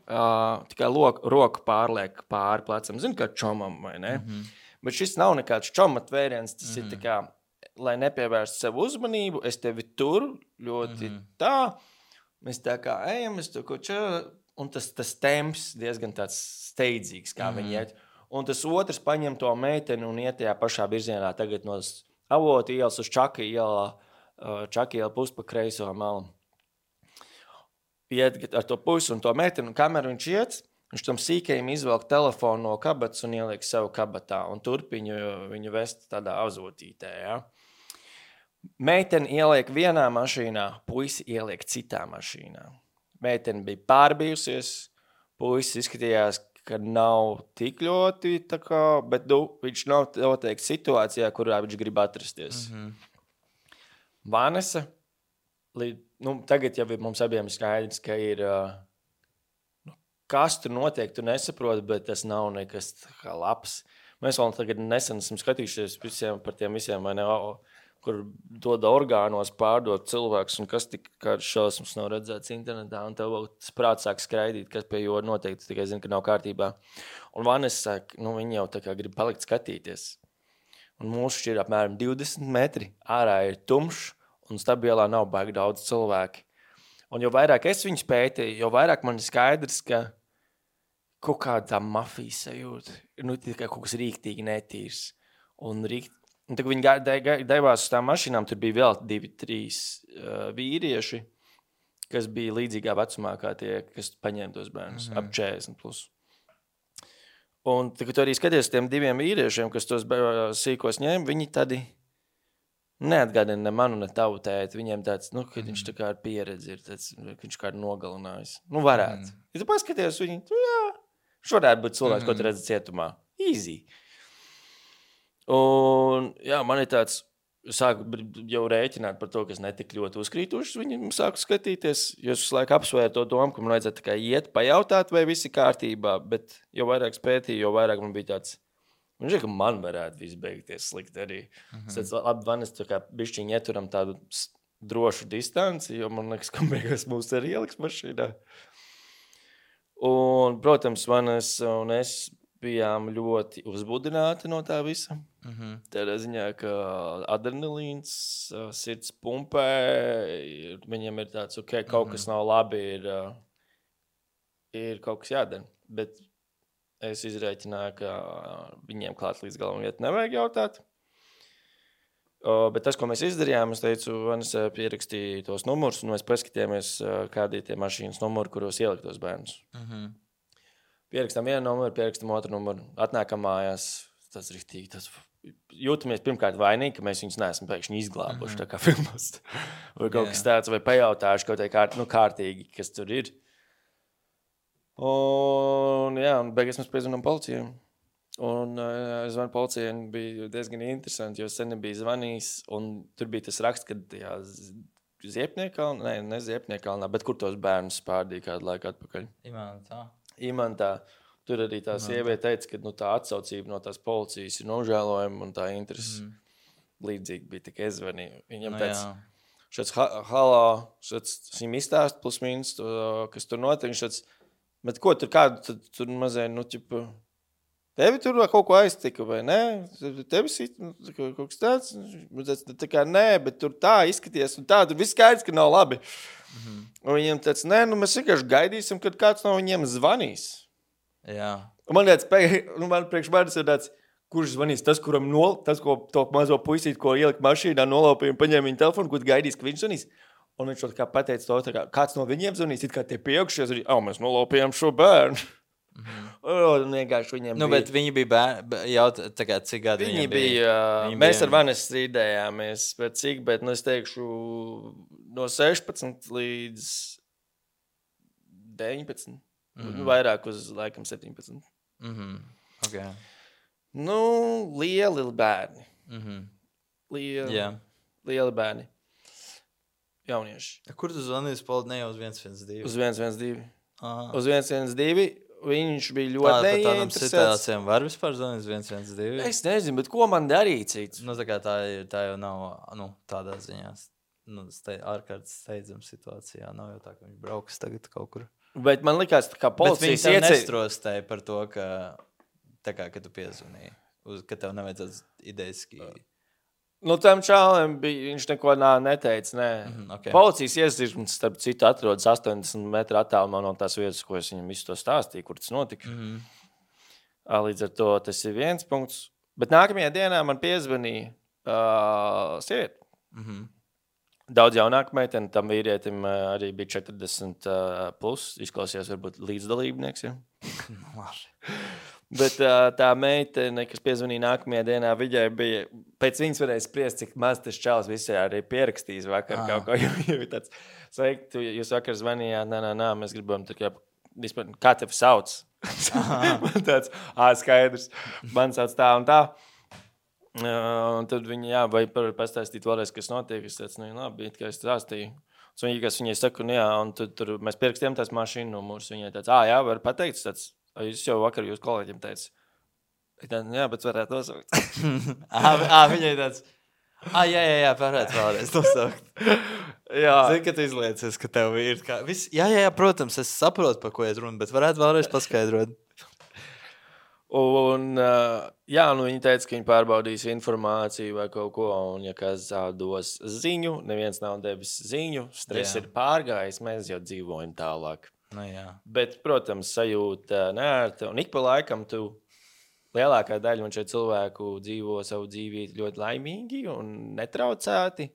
tikai roku pārliek pāri plecam. Zini, kā čomam, vai ne? Bet šis nav nekāds čoma tvēriens. Tas ir tā kā, lai nepievērst sev uzmanību, es tevi turu ļoti tā, Mēs tā kā ejam, mēs to kaut kā, un tas temps diezgan tāds steidzīgs, kā viņi iet. Un tas otrs paņem to meiteni un iet tajā pašā virzienā tagad no Avota ielas uz Čaka iela pus pa kreiso malu. Iet ar to pusi un to meiteni, un kamēr viņš iet, viņš tam sīkajam izvelk telefonu no kabatas un ieliek sev kabatā un turpina viņu vest tādā azotītē, ja? Meiteni ieliek vienā mašīnā, puisi ieliek citā mašīnā. Meiteni bija pārbijusies, puisis izskatījās, ka nav tik ļoti, tā kā, bet viņš nav noteikti situācijā, kurā viņš grib atrasties. Vanesa, tagad jau mums abiem skaidrs, ka ir, kas tur notiek, tu nesaproti, bet tas nav nekas kā labs. Mēs vēl tagad nesen esam skatījušies par tiem visiem, vai ne, kur dod orgānos pārdot cilvēks, un kas tik kāds šausmas nav redzēts internetā, un tev vēl tas prāts sāk skraidīt, kas pie jo noteikti, tikai zina, ka nav kārtībā. Un Vanessa saka, viņi jau tā kā grib palikt skatīties. Un mūsu šķir apmēram 20 metri, ārā ir tumšs, un stabilā nav baigi daudz cilvēki. Un jo vairāk es viņus pētīju, jo vairāk man ir skaidrs, ka kaut kāda mafijas sajūta, tikai kaut kas rīktīgi netīrs. Un tad viņi devās uz tām mašīnām, tur bija vēl 2-3 vīrieši, kas bija līdzīgā vecumā kā tie, kas paņēma tos bērnus, ap 40 plus. Un tad, kad tu arī skaties tiem 2 vīriešiem, kas tos sīkos ņēma, viņi tādi neatgādina ne manu, ne tavu tēti. Viņiem tāds, kad viņš tā kā ar pieredzi ir, tāds, ka viņš kādu nogalinājis. Varētu. Ja tu paskaties, viņi, viņš varētu būt cilvēks, ko tu redzi cietumā. Easy. Un, man ir tāds, sāku jau rēķināt par to, kas netik ļoti uzkrītušas. Viņi sāku skatīties, jo es visu laiku apsvēru to domu, ka man vajadzētu tā kā iet, pajautāt, vai viss ir kārtībā, bet jo vairāk spētīju, jo vairāk man bija tāds, man žēl, ka man varētu viss beigties slikti arī. Es teicu, labi, Vanes, tā kā bišķiņi ieturam tādu drošu distanci, jo man liekas, ka beigās mūs arī ieliks mašīnā. Un, protams, Vanes un es bijām ļoti uzbudināti no tā visa. Tādā ziņā, ka adrenalīns, sirds pumpē, viņiem ir tāds, kaut kas nav labi, ir kaut kas jādara. Bet es izrēķināju, ka viņiem klāt līdz galam iet nevajag jautāt. Bet tas, ko mēs izdarījām, es teicu, Vanesa pierakstīja tos numurus, un mēs paskatījāmies, kādi ir tie mašīnas numuri, kuros ielikt tos bērnus. Pierakstam vienu numuru, pierakstam otru numuru, atnākam mājās, tas riktīgi, tas jūtamies pirmkārt vainīgi, ka mēs viņus neesam pēkšņi izglābuši, tā kā filmos, vai kaut kas tāds, vai pajautājuši kaut tai kārtīgi, kas tur ir. Un beigās mēs piezvanām policijai. Un zvanu policijai bija diezgan interesanti, jo sen nebija zvanījis, un tur bija tas raksts, ka Ziepniekalnā, ne Ziepniekalnā, bet kur tos bērnus spārdīja kādu laiku atpakaļ. Imantā. Tur arī tā sieviete teica, ka tā atsaucība no tās policijas ir nožēlojama, un tā interese līdzīgi bija tikai zvanīja. Viņam teica, šāds halā, viņam izstāst plus mīnus, kas tur notiek, šāds, bet ko tur kādu, tur mazliet, tevi tur kaut ko aiztika, vai ne? Tevis kaut kas tāds, tā kā nē, bet tur tā izskaties, un tā, tur viss skaidrs, ka nav labi. Un viņiem tāds, nē, mēs vienkārši gaidīsim, kad kāds no viņiem zvanīs. Un man tāds, man priekš manis ir tāds, kurš zvanīs, tas, kuram to mazo puisīt, ko ielikt mašīnā, nolaupīja un paņēma viņa telefonu, kur gaidīs, ka viņš zvanīs. Un viņš kā pateica to, tā kā, kāds no viņiem zvanīs, it kā tie pieaugšies, arī, mēs nolaupījām šo bērnu. Un vienkārši viņiem bija. Bet viņi bija tā kā cik gadi viņi bija. Mēs ar Vanesu strīdējāmies par cik, bet es teikšu no 16 līdz 19. Vairāk uz laikam 17. Lieli bērni. Lieli bērni. Jaunieši. Kur tu zvanīji ne uz 112? Uz 112. Uz 112. Viņš bija ļoti neinteresēts. Par tādām situācijām var vispār zvanīt uz 112? Es nezinu, bet ko man darīt cits? Tā jau nav, tādā ziņā, ārkārtas steidzama situācijā. Nav jau tā, ka viņš brauks tagad kaut kur. Bet man likās, ka policijas iecei... Bet viņi nestrostēja par to, ka tu piezvanīji, ka tev nevajadzētu ideiski... Nu, tam čālim viņš neko neteica. Nē. Okay. Policijas iesaistīšanās, starp citu, atrodas 80 metru attālumā no tās vietas, ko es viņam visu to stāstīju, kur tas notika. Līdz ar to tas ir viens punkts. Bet nākamajā dienā man piezvanīja sieviete. Daudz jaunāka meitene, tam vīrietim arī bija 40 plus. Izklausījās varbūt līdzdalībnieks. Ja? Bet tā meitene, kas piezvanīja nākamajā dienā, viņai bija, pēc viņas varēja spriest, cik maz tas čalis visai arī pierakstījis vakar kaut ko. Jo tāds, sveiki, jūs vakar zvanījāt, nē, mēs gribam, kā tevi sauc? Man tāds, skaidrs, man sauc tā un tā. Un tad viņa, vai pastāstīt vēlreiz, kas notiek. Es teicu, labi, kā es stāstīju. Un viņai saku, un tur mēs pierakstījām tās mašīnu numurus. Viņai tāds, jā, var pateikt. Tāds, jūs jau vakar jūs kolēģiem teicu. Jā, bet varētu nosaukt. Viņai tāds, jā, varētu vēlreiz nosaukt. Zini, ka tu izliecies, ka tev ir kā... Jā, protams, es saprotu, par ko iet runa, bet varētu vēlreiz paskaidrot. Un, viņi teica, ka viņi pārbaudīs informāciju vai kaut ko, un ja kāds dos ziņu, neviens nav devis ziņu, stress ir pārgājis, mēs jau dzīvojam tālāk. Bet, protams, sajūta neērta, un ik pa laikam tu lielākā daļa man šeit cilvēku dzīvo savu dzīvīti ļoti laimīgi un netraucēti.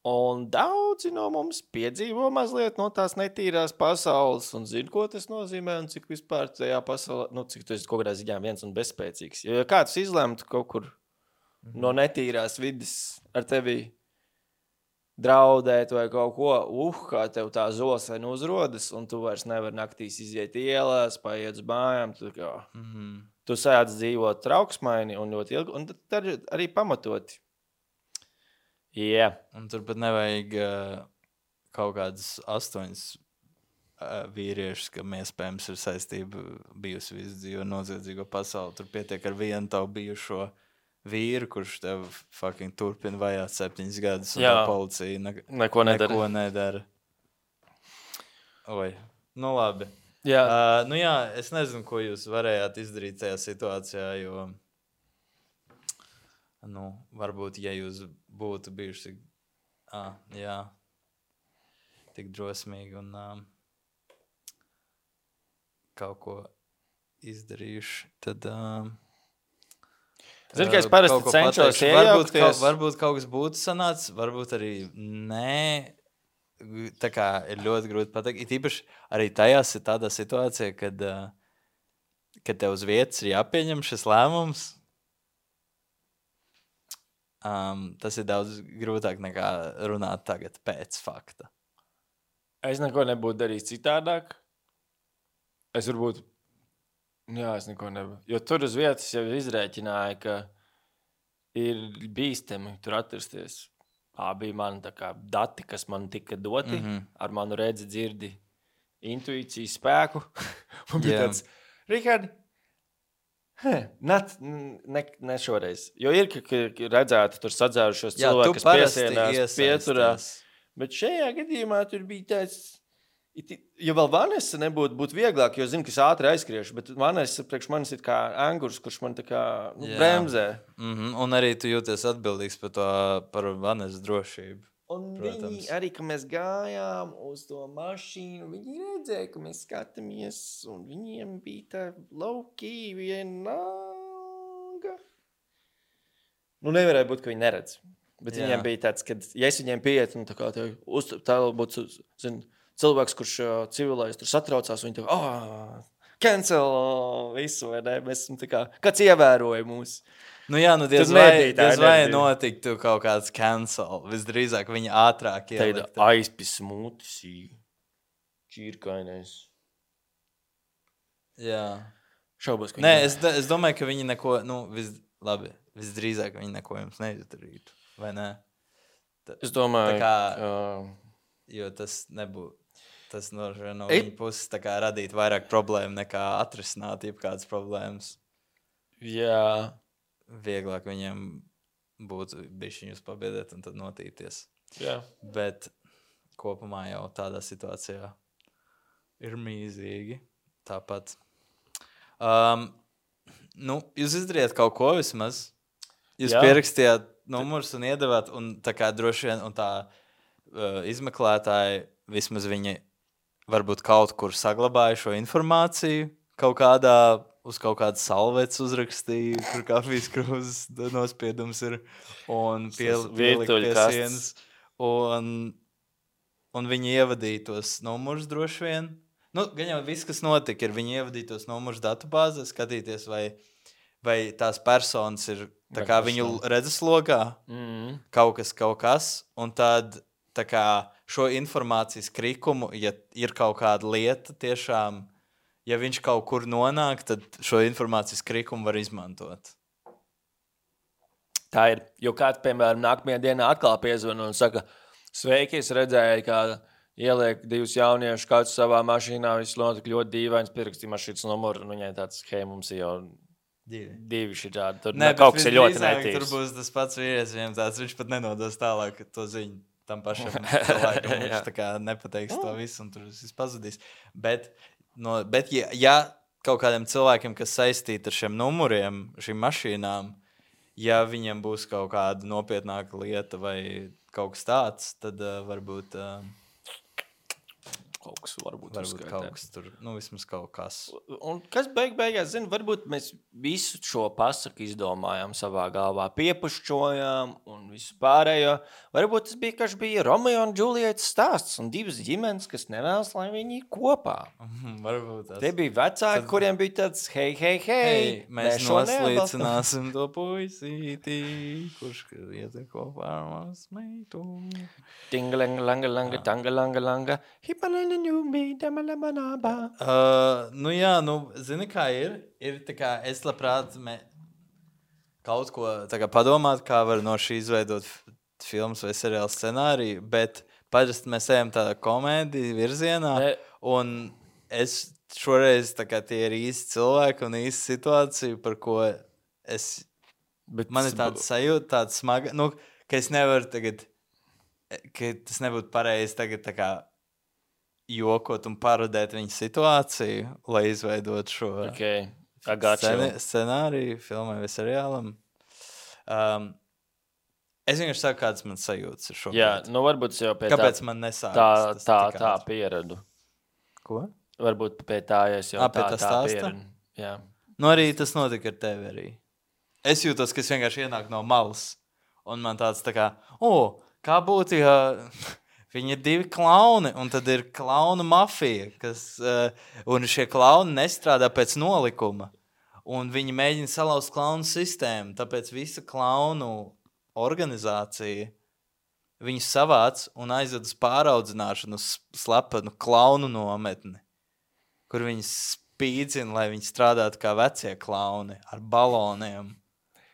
Un daudzi no mums piedzīvo mazliet no tās netīrās pasaules un zina, ko tas nozīmē un cik vispār tajā pasaulē, cik tu esi kaut kādā ziņā viens un bezspēcīgs. Jo kāds izlemtu kaut kur no netīrās vidas ar tevi draudēt vai kaut ko, kā tev tā zosena uzrodas un tu vairs nevar naktīs iziet ielās, paiet uz mājām, tu sāc dzīvot trauksmaini un ļoti ilgi, un tad arī pamatoti. Yeah. Un tur pat nevajag kaut kādas 8 vīriešus, kam iespējams ir saistība bijusi visu dzīvo noziedzīgo pasauli. Tur pietiek ar vienu tavu bijušo vīru, kurš tev fucking turpina vajāt 7 gadus, un tā policija neko nedara. Oi, labi. Es nezinu, ko jūs varējāt izdarīt tajā situācijā, jo... varbūt, ja jūs būtu bijuši tik drosmīgi un kaut ko izdarījuši, tad... Zini, ka es parasti cenšos iejaukties. Varbūt kaut kas būtu sanācis, varbūt arī nē. Tā kā ir ļoti grūti pateikt. It īpaši arī tajās ir tādā situācijā, kad tev uz vietas ir jāpieņem šis lēmums. Tas ir daudz grūtāk nekā runāt tagad pēc fakta. Es neko nebūtu darījis citādāk. Es varbūt... es neko nebūtu. Jo tur uz vietas jau izrēķināja, ka ir bīstami tur atrasties. Bija mani tā kā dati, kas man tika doti, ar manu redzi, dzirdi, intuīciju, spēku. Un bija tāds, Rihardi, ne šoreiz. Jo ir, ka redzētu tur sadzērušos cilvēku, kas piesienās pieturā. Bet šajā gadījumā tur bija tāds, ja vēl Vanessa nebūtu vieglāk, jo zinu, ka es ātri aizskriešu, bet Vanessa priekš manis ir kā angurs, kurš man tā kā bremzē. Un arī tu jūties atbildīgs par Vanessas drošību. Un viņi arī, ka mēs gājām uz to mašīnu, viņi redzēja, ka mēs skatāmies, un viņiem bija tā low-key vienalga. Nevarēja būt, ka viņi neredz. Bet viņiem bija tāds, ka, ja es viņiem pieietu, tā kā tā būtu, cilvēks, kurš civilais tur satraucās, viņi tā, cancel visu, vai ne? Mēs esam tā kā, kāds ievēroja mūs. Diez vai notiktu kaut kāds cancel. Visdrīzāk viņa ātrāk ielikta. Tāda aizpismutis, čirkainais. Šaubos, ka es domāju, ka viņi neko, visdrīzāk viņi neko jums neizdarītu, vai ne? Es domāju, jo tas nebūtu. Tas no viņa puses tā kā radīt vairāk problēmu nekā atrisināt jebkādas problēmas. Jā. Vieglāk viņiem būtu bišķiņus pabiedēt un tad notīties. Jā. Bet kopumā jau tādā situācijā ir mīzīgi. Tāpat. Jūs izdarījāt kaut ko vismaz. Jūs pierakstījāt numurs un iedavāt, un tā kā droši vien, un tā izmeklētāji, vismaz viņi varbūt kaut kur saglabāja šo informāciju, uz kaut kādas salvetes uzrakstīja, kur kafijas krūzes nospiedums ir, un pielika pie sienas, un viņi ievadīja tos numurus droši vien. Nu, gan jau viss, kas notika, ir viņi ievadīja tos numurus datubāzē, skatīties, vai tās personas ir tā kā viņu redzeslokā, kaut kas, un tad tā kā šo informācijas krikumu, ja ir kaut kāda lieta tiešām, ja viņš kaut kur nonāk, tad šo informācijas krikumu var izmantot. Tā ir, jo kāds, piemēram, nākamajā dienā atkal piezvana un saka, sveiki, es redzēju, kā ieliek 2 jauniešu kāds savā mašīnā, viss notika ļoti dīvains, pierakstīja mašīnas numuru, un viņai tāds, hei, mums ir jau 2 šitādi, tur kaut kas ir ļoti netīvs. Tur būs tas pats vīries, viņš pat nenodos tālāk to ziņu tam pašam cilvēkam, viņš tā kā nepateiks to visu, un tur viss pazudīs. Bet ja kaut kādiem cilvēkiem, kas saistīti ar šiem numuriem, šīm mašīnām, ja viņiem būs kaut kāda nopietnāka lieta vai kaut kas tāds, tad varbūt kaut kas tur, vismaz kaut kas. Un kas beigās, varbūt mēs visu šo pasaku izdomājām savā galvā, piepušķojām un visu pārējo. Varbūt tas bija Romeo un Džulietas stāsts un 2 ģimenes, kas nevēlas, lai viņi ir kopā. Varbūt tas. Te bija vecāki, kuriem bija tāds, hei, mēs noslīcināsim to puisīti, kurš iet kopā ar mums meitu. Tinga-langa-langa, tanga-langa-langa, hipalanga. Zini, kā ir? Ir tā kā es labprāt kaut ko tā kā padomāt, kā var no šī izveidot filmas vai seriāla scenāriju, bet parasti mēs ejam tādā komēdiju virzienā, un es šoreiz tā kā tie ir īsti cilvēki un īsti situācija, par ko man ir tāda sajūta, tāda smaga, ka es nevaru tagad, ka tas nebūtu pareizi tagad tā kā jokot un parodēt viņu situāciju, lai izveidot šo scenāriju filmai vai seriālam. Es vienkārši saku, kādas man sajūtas ir šobrīd. Jā, varbūt jau pie kāpēc man nesākas tā pieradu. Ko? Varbūt pie tā, ja es jau tā pieradu. Jā. Arī tas notika ar tevi arī. Es jūtos, ka es vienkārši ienāku no malas, un man tāds tā kā, kā būtu, ja... Viņi ir 2 klauni, un tad ir klaunu mafija, un šie klauni nestrādā pēc nolikuma. Un viņi mēģina salauzt klaunu sistēmu, tāpēc visa klaunu organizācija viņus savāc un aizved uz pāraudzināšanu, uz slepenu klaunu nometni, kur viņi spīdzina, lai viņi strādātu kā vecie klauni ar baloniem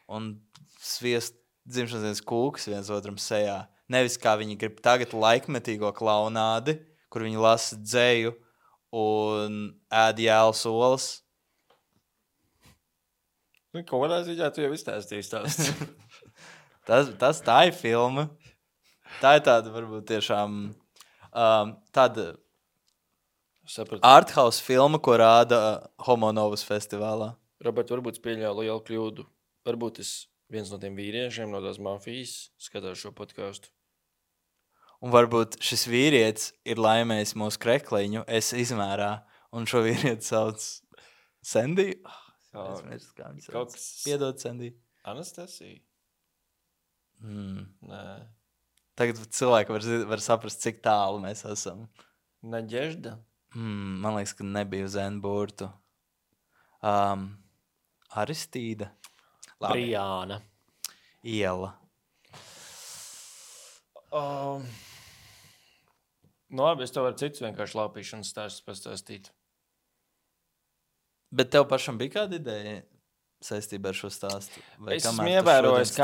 un sviest dzimšanas dienas kūkas viens otram sejā. Nevis kā viņi grib tagad laikmetīgo klaunādi, kur viņi lasa dzēju un ēd jēlas olas. Ko varētu ziņā, tu jau izstāstīji stāstu. Tā ir filma. Tā ir tāda, varbūt tiešām tāda arthouse filma, ko rāda Homo Novus festivālā. Robert, varbūt pieļauju lielu kļūdu. Varbūt es viens no tiem vīriešiem no tās mafijas skatās šo podcastu. Un varbūt šis vīrietis ir laimējis mūsu krekliņu izmērā, un šo vīrieti sauc Sandy. Piedod, Sandy. Anastasija? Nē. Tagad cilvēki var saprast, cik tālu mēs esam. Naģežda? Man liekas, ka nebija uz N-burtu. Aristīda. Briāna. Iela. Labi, es tev varu citus vienkārši laupīšanas stāstus pastāstīt. Bet tev pašam bija kāda ideja saistībā ar šo stāstu? Vai es esmu ievērojis,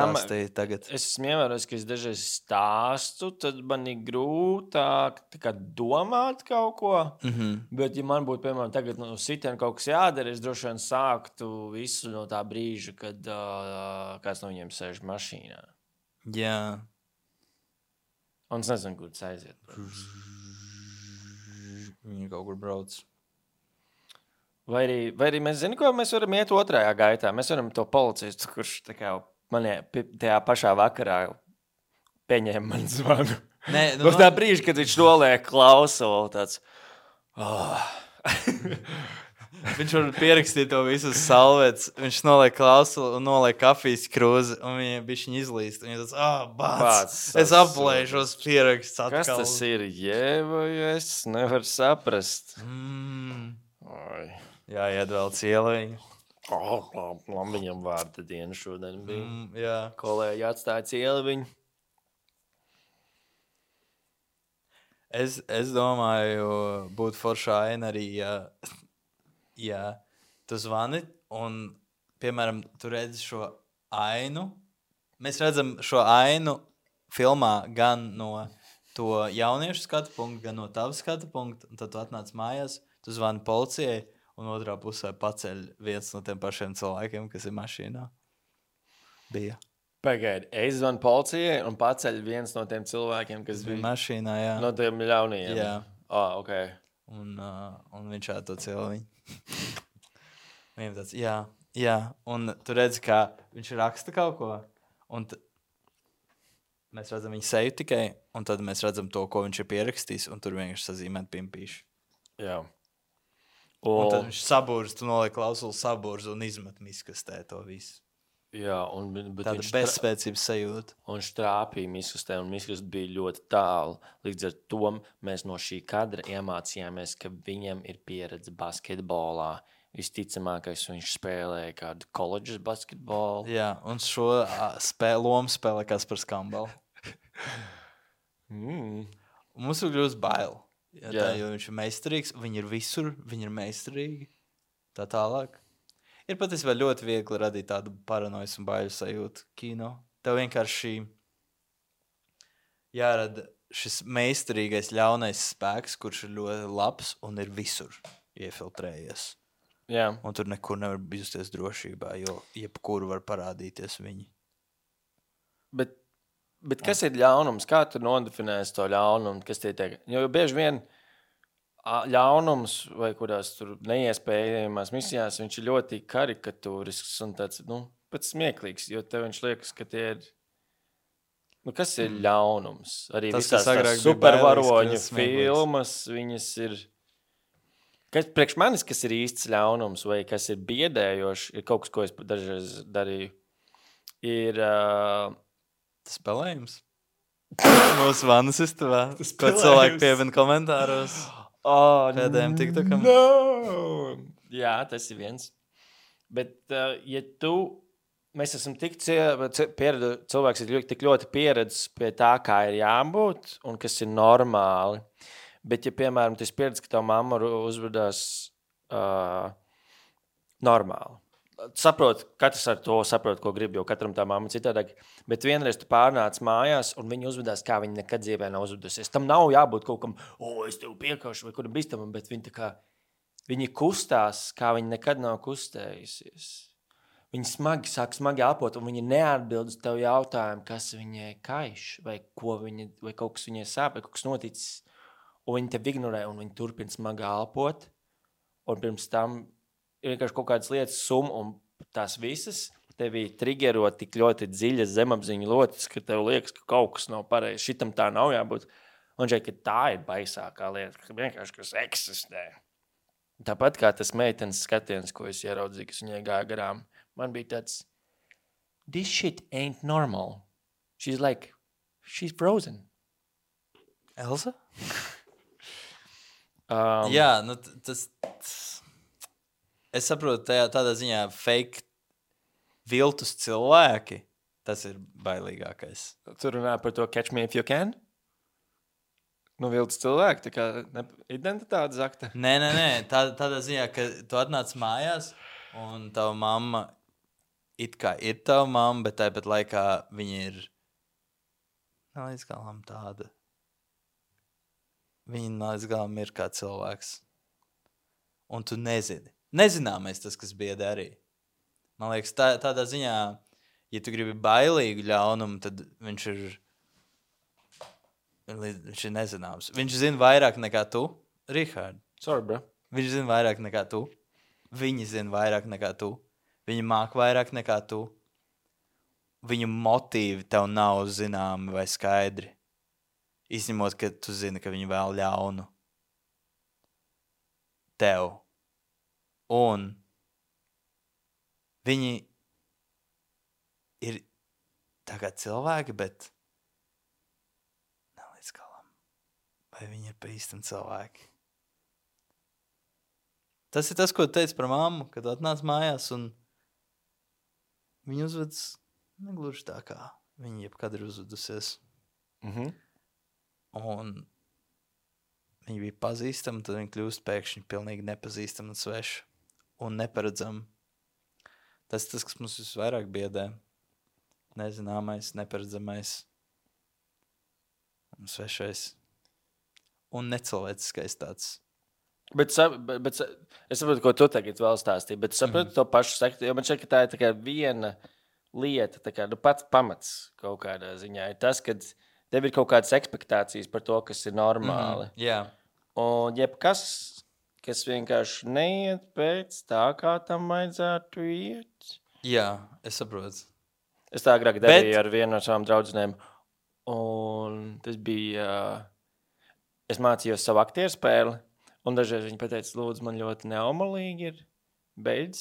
ka es dažreiz stāstu, tad man ir grūtāk domāt kaut ko. Bet, ja man būtu, piemēram, tagad sitien kaut kas jādara, es droši vien sāktu visu no tā brīža, kad kāds no viņiem sēž mašīnā. Jā. Un es nezinu, kur tas aiziet. Viņi kaut kur brauc. Vai arī mēs zinām, ko mēs varam iet otrajā gaitā. Mēs varam to policistu, kurš tā kā man tajā pašā vakarā pieņēma man zvanu. Nē, No tā brīža, kad viņš noliek klausuli, tāds... Viņš var pierakstīt to visu salvēts. Viņš noliek klausuli un noliek kafijas krūzi, un viņai bišķiņ izlīst. Un viņa tāds, bāc, es aplēšos pieraksts atkal. Kas tas ir? Vai es nevaru saprast. Jā, iedvēlc ieliņu. Viņam vārda diena šodien bija. Jā. Kolēģi atstāja ieliņu. Es domāju, būtu forša aina arī, ja tu zvani un, piemēram, tu redzi šo ainu. Mēs redzam šo ainu filmā gan no to jauniešu skatu punktu, gan no tava skatu punktu. Un tad tu atnāc mājās, tu zvani policijai un otrā pusē paceļ viens no tiem pašiem cilvēkiem, kas ir mašīnā. Bija. Pagaidi, es zvanu policijai un paceļ viens no tiem cilvēkiem, kas bija mašīnā, jā. No tiem ļaunajiem. Jā. Ok. Un viņš āto cilvēku. Viņam tāds, jā. Un tu redzi, kā viņš raksta kaut ko. Un mēs redzam viņa seju tikai, un tad mēs redzam to, ko viņš ir pierakstījis, un tur vienkārši sazīmēt pimpīši. Jā. Un tad viņš sabūrs, tu noliek klausuli sabūrs un izmet miskastē to visu. Jā, tāda bezspēcības sajūta. Un štrāpīja miskastē, un miskast bija ļoti tālu. Līdz ar to mēs no šī kadra iemācījāmies, ka viņam ir pieredze basketbolā. Visticamākais viņš spēlēja kādu koledžas basketbolu. Jā, un šo lomu spēlē Kaspars Kambals. Mums ir kļūst bail. Jā, jo viņš ir meistarīgs, viņi ir visur, viņi ir meistarīgi. Tā tālāk. Ir patiesībā ļoti viegli radīt tādu paranojas un baiļu sajūtu kino. Tev vienkārši jārada šis meistarīgais ļaunais spēks, kurš ir ļoti labs un ir visur iefiltrējies. Jā. Un tur nekur nevar justies drošībā, jo jebkur var parādīties viņi. Bet kas ir ļaunums? Kā tu nodefinēsi to ļaunumu? Kas tie tiek? Jo bieži vien ļaunums vai kurās tur neiespējamās misijās, viņš ir ļoti karikatūrisks un tāds, pats smieklīgs, jo tev viņš liekas, ka tie ir, kas ir ļaunums? Arī tas, visās tās supervaroņu filmas, viņas ir, priekš manis, kas ir īsts ļaunums vai kas ir biedējoši, ir kaut kas, ko es dažreiz darīju, ir... Tas spēlējums? Mūsu vannas istabā. Ko cilvēki pievina komentāros? Pēdējiem TikTokam. No! Jā, tas ir viens. Bet, ja mēs esam tik cilvēks ir tik ļoti pieredzis pie tā, kā ir jābūt un kas ir normāli. Bet, ja, piemēram, tu esi pieredzis, ka tavu mamma uzvedās normāli. Saprot, katrs ar to saprot, ko grib, jo katram tā mamma citādāk. Bet vienreiz tu pārnāc mājās, un viņi uzvedās, kā viņi nekad dzīvē nav uzvedusies. Tam nav jābūt kaut kam, es tev piekaušu vai kuram bīstamam, bet viņi kustās, kā viņi nekad nav kustējusies. Viņi sāk smagi elpot, un viņi neatbild uz tev jautājumu, kas viņai kaiš, vai kaut kas viņai sāp, vai kaut kas noticis. Un viņi tev ignorē, un viņi turpina smagi elpot, un pirms tam ir vienkārši kaut kādas lietas summa, un tās visas tevi trigero tik ļoti dziļas zemapziņu lotas, ka tev liekas, ka kaut kas nav pareizi. Šitam tā nav jābūt. Un šeit, ka tā ir baisākā lieta, ka vienkārši kas eksistē. Tāpat kā tas meitenes skatiens, ko es ieraudzīju, kas viņai gāja garām, man bija tāds, this shit ain't normal. She's frozen. Elsa? Jā, tas... Es saprotu, tādā ziņā fake viltus cilvēki, tas ir bailīgākais. Tu runā par to catch me if you can? Viltus cilvēki, tā kā identitāte zakta? Nē, tādā ziņā, ka tu atnāc mājās un tava mamma it kā ir tava mamma, bet tāpat laikā viņa ir līdz galam tāda. Viņa līdz galam ir kā cilvēks. Un tu nezini. Nezināmais tas, kas bija darīt. Man liekas, tādā ziņā, ja tu gribi bailīgu ļaunumu, tad viņš ir nezināms. Viņš zina vairāk nekā tu, Rihard. Sorry, bro. Viņš zina vairāk nekā tu. Viņi zina vairāk nekā tu. Viņi māk vairāk nekā tu. viņu motīvi tev nav zināmi vai skaidri. Izņemot, ka tu zini, ka viņi vēl ļaunu tev. Un viņi ir tā kā cilvēki, bet nav līdz galam. Vai viņi ir pa īstam cilvēki? Tas ir tas, ko tu teici par mammu, kad atnāc mājās un viņa uzvedas negluži tā, kā viņa jebkad ir uzvedusies. Un viņa bija pazīstama, tad viņa kļūst pēkšņi pilnīgi nepazīstama un sveša. Un neparedzama. Tas ir tas, kas mums visvairāk biedē. Nezināmais, neparedzamais. Un svešais. Un necilvēciskais tāds. Bet es saprotu, ko tu tagad vēl stāstīji, bet saprotu to pašu sektu, jo man šķiet, ka tā ir tikai viena lieta, tā kā pats pamats kaut kādā ziņā ir tas, ka tev ir kaut kādas ekspektācijas par to, kas ir normāli. Jā. Un jebkas, kas vienkārši neiet pēc tā, kā tam vajadzētu iet. Jā, es saprotu. Es tā agrāk darīju ar vienu no savām draudzenēm, un tas bija, es mācījos savu aktieru spēli, un dažreiz viņi pateica, lūdzu, man ļoti neomalīgi ir, beidz,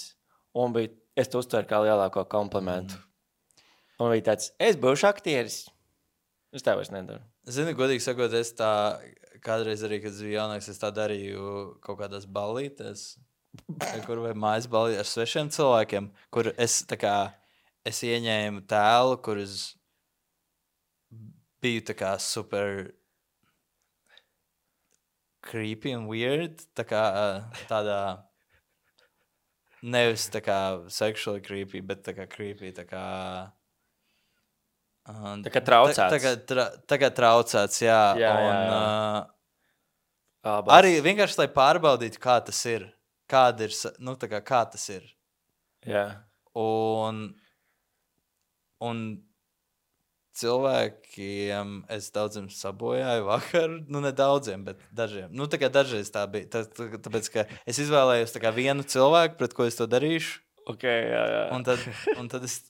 un es to uztveru kā lielāko komplimentu. Un bija tāds, es būšu aktieris. Es tā vairs nedaru. Zini, godīgi sakot, es tā kādreiz arī, kad es biju jaunāks, es tā darīju kaut kādās ballītēs, kur vai mājas ballītēs ar svešiem cilvēkiem, kur es ieņēmu tēlu, kur es biju tā kā super creepy and weird, tā kā tādā nevis tā kā sexually creepy, bet tā kā creepy, tā kā traucēts. Tā kā traucēts, jā. Jā. Arī vienkārši, lai pārbaudītu, kā tas ir. Kāda ir, tā kā kā tas ir. Jā. Un cilvēkiem es daudziem sabojāju vakar, ne daudziem, bet dažiem. Tā kā dažreiz tā bija, tāpēc, ka es izvēlējos tā kā vienu cilvēku, pret ko es to darīšu. Okay, jā. Un tad es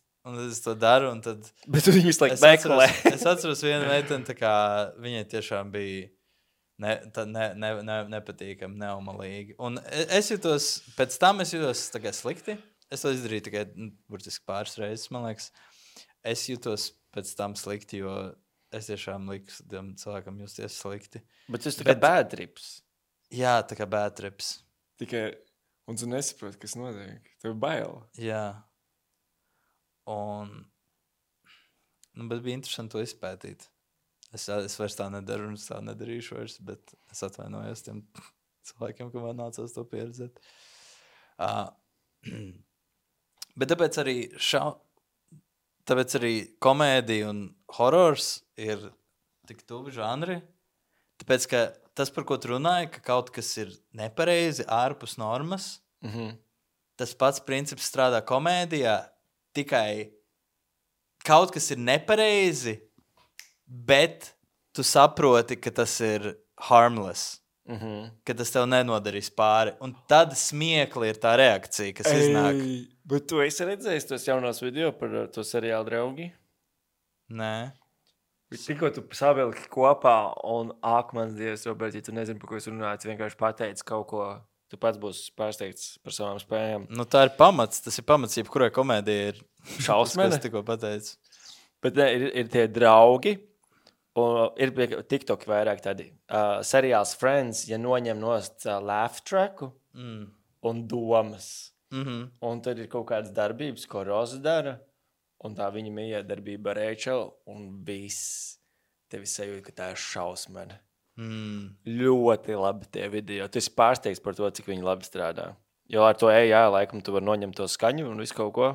to daru, un tad... Bet tu viņus meklē. Es atceros vienu meiteni, tā kā viņai tiešām bija nepatīkami, neomalīgi. Un es jūtos, pēc tam es jūtos tā kā slikti. Es to izdarīju tikai, burtiski pāris reizes, man liekas. Es jūtos pēc tam slikti, jo es tiešām liku tiem cilvēkam justies slikti. Bet tas tā kā bad trips. Jā, tā kā bad trips. Tikai, un tu nesaproti, kas notiek. Tev bail. Jā. Bet bija interesanti to izpētīt. Es vairs tā nedaru, un es tā nedarīšu vairs, bet es atvainojos tiem cilvēkiem, kam man nācās to pieredzēt. Bet tāpēc arī komēdija un horors ir tik tuvi žanri. Tāpēc, ka tas, par ko tu runāji, ka kaut kas ir nepareizi, ārpus normas, tas pats princips strādā komēdijā, tikai kaut kas ir nepareizi, bet tu saproti, ka tas ir harmless. Ka tas tev nenodarīs pāri. Un tad smiekli ir tā reakcija, kas iznāk. Bet tu esi redzējis tos jaunos video par to seriālu Draugi? Nē. Tikko tu savilki kopā un mans Dievs, Robert, ja tu nezini, par ko es runāju, tu vienkārši pateici kaut ko, tu pats būsi pārsteigts par savām spējām. Tā ir pamats, tas ir pamats, jebkurai komēdija ir šausmene. Tas, ko es tikko pateicu. Bet ne, ir tie draugi, un ir TikTok vairāk tādi seriāls Friends, ja noņem nost laugh tracku un domas. Un tad ir kaut kādas darbības, ko Roza dara, un tā viņa miedarbība ar Rachel, un viss tevi sajūt, ka tā ir šausmene. Ļoti labi tie video. Tu esi pārsteigts par to, cik viņi labi strādā. Jo ar to AI laikam tu var noņemt to skaņu un visu kaut ko.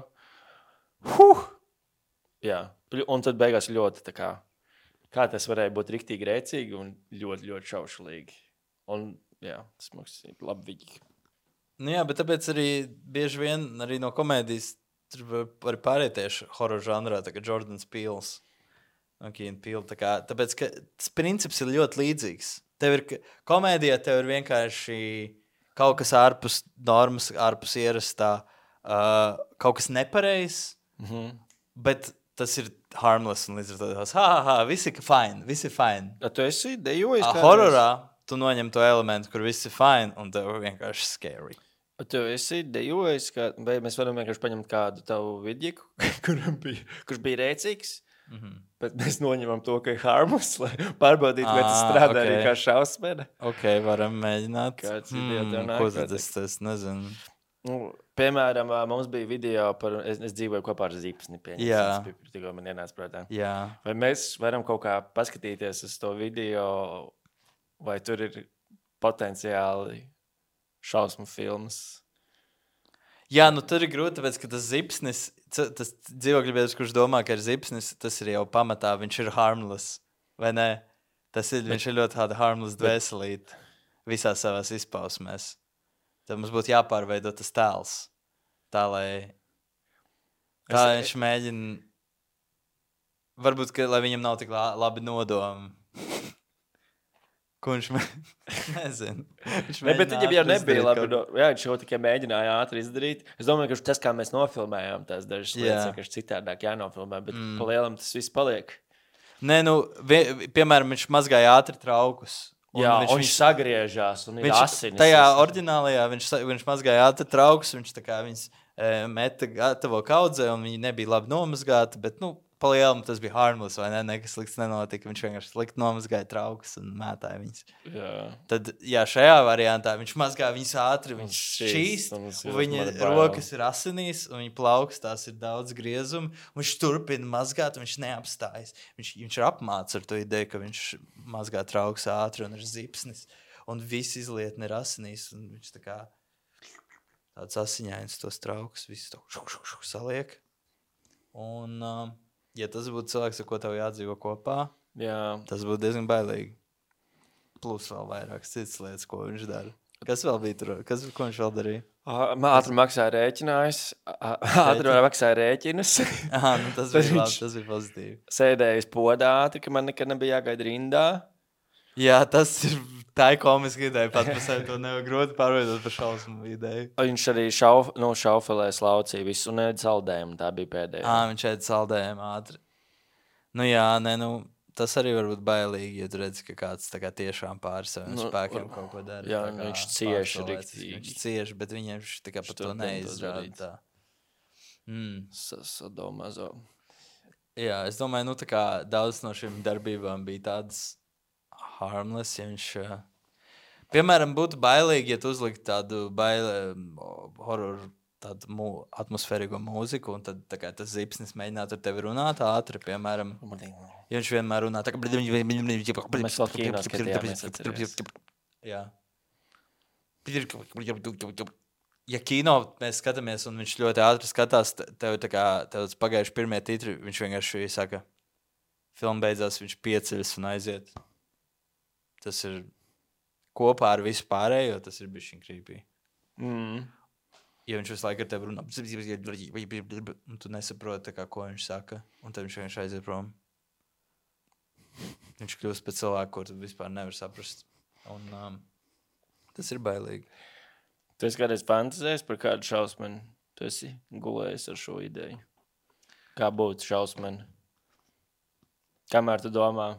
Jā, un tad beigās ļoti tā kā tas varēja būt riktīgi rēcīgi un ļoti, ļoti šaušalīgi. Un jā, tas mums ir labi vidīgi. Jā, bet tāpēc arī bieži vien arī no komēdijas tur var pāriet tieši horror žanrā, tā kā Jordans Peels. Tāpēc, ka tas princips ir ļoti līdzīgs. Komēdijā tev ir vienkārši kaut kas ārpus normas, ārpus ierastā, kaut kas nepareizs, bet tas ir harmless un līdz ar to tās, viss ir fine. Tu esi dejojis? Hororā tu noņem to elementu, kur viss ir fine, un tev vienkārši scary. Tu esi dejojis, vai mēs varam vienkārši paņemt kādu tavu vidjiku, kurš bija rēcīgs, bet mēs noņemam to, ka ir harmless, lai pārbaudītu, vai tas strādā arī kā šausmene. Ok, varam mēģināt. Kāds ideja tev nāk? Ko tad es nezinu. Piemēram, mums bija video par, es dzīvoju kopā ar Zipsni, tikko man ienāca prātā. Jā. Vai mēs varam kaut kā paskatīties uz to video, vai tur ir potenciāli šausmu filmas? Jā, tur ir grūti, tāpēc, ka tas Zipsnis, tas dzīvokļu biedrs, kurš domā, ka ir Zipsnis, tas ir jau pamatā, viņš ir harmless, vai ne? Viņš ir ļoti tāda harmless dvēselīte visās savās izpausmēs. Tad mums būtu jāpārveido tas tēls. Tā, lai viņš mēģina... Varbūt, lai viņam nav tik labi nodomi. Ko viņš nezinu. Bet viņam jau nebija labi. Jā, viņš jau tikai mēģināja ātri izdarīt. Es domāju, ka tas, kā mēs nofilmējām tās dažas lietas, ka citādāk jānofilmē, bet pa lielam tas viss paliek. Nē, piemēram, viņš mazgāja ātri traukus. Jā, viņš sagriežās un ir asinis. Tajā oriģinālajā viņš mazgāja ātri traukus, viņš tā kā viņas meta gatavo kaudzē un viņi nebija labi nomazgāti, bet, pa lielam tas bija harmless, vai ne? Nekas slikts nenotika. Viņš vienkārši slikti nomazgāja traukus un mētāja viņas. Jā. Tad, šajā variantā viņš mazgāja viņas ātri, viņš šķīst, un viņa rokas ir asinīs, un viņa plaukstās ir daudz griezumi. Viņš turpina mazgāt, un viņš neapstājas. Viņš ir apmāts ar to ideju, ka viņš mazgā traukus ātri un ir Zipsnis. Un viss izlietne ir asinīs, un viņš tā kā tāds asiņains tos traukus, viss to saliek. Un... ja tas būtu cilvēks, ar ko tev jādzīvo kopā, tas būtu diezgan bailīgi. Plus vēl vairākas citas lietas, ko viņš dara. Kas vēl bija tur? Ko viņš vēl darīja? Ātri maksāja rēķinājus. Ātri maksāja rēķinus. Tas bija pozitīvi. Sēdēja uz podā ātri, ka man nekad nebija jāgaida rindā. Jā, tas ir tā komiska ideja. Pat par sevi to nevar grūti pārveidot par šausmu ideju. Viņš arī šaufelēs laucīja visu un ēd saldējumu. Tā bija pēdējā. Viņš ēd saldējumu ātri. Tas arī var būt bailīgi, ja tu redzi, ka kāds tā kā tiešām pāri saviem spēkiem kaut ko dara. Jā, viņš cieši riktīgi. Viņš cieši, bet viņiem viņš tā kā par to neizrāda. Sadomazo. Jā, es domāju, tā kā daudz no šīm darbībām bija tādas harmless, ja viņš... Piemēram, būtu bailīgi, ja tu uzliktu tādu hororu, tādu atmosfērīgo mūziku, un tad tā kā tas Zipsnis mēģinātu ar tevi runāt ātri, piemēram, ja viņš vienmēr runā tā kā... Mēs vēl kīnā skatījāmies atceries. Jā. Ja kino mēs skatāmies, un viņš ļoti ātri skatās, tev pagājuši pirmie titri, viņš vienkārši saka, filma beidzās, viņš pieceļas un aiziet. Tas ir kopā ar visu pārējo, tas ir bišķiņ creepy. Ja viņš visu laiku ar tevi runā, un tu nesaproti, ko viņš saka, un tad viņš vienkārši aiziet prom. Viņš kļūst pēc cilvēku, ko tu vispār nevar saprast. Un tas ir bailīgi. Tu esi kādreiz fantazējis par kādu šausmeni? Tu esi gulējis ar šo ideju? Kā būtu šausmeni? Kamēr tu domā?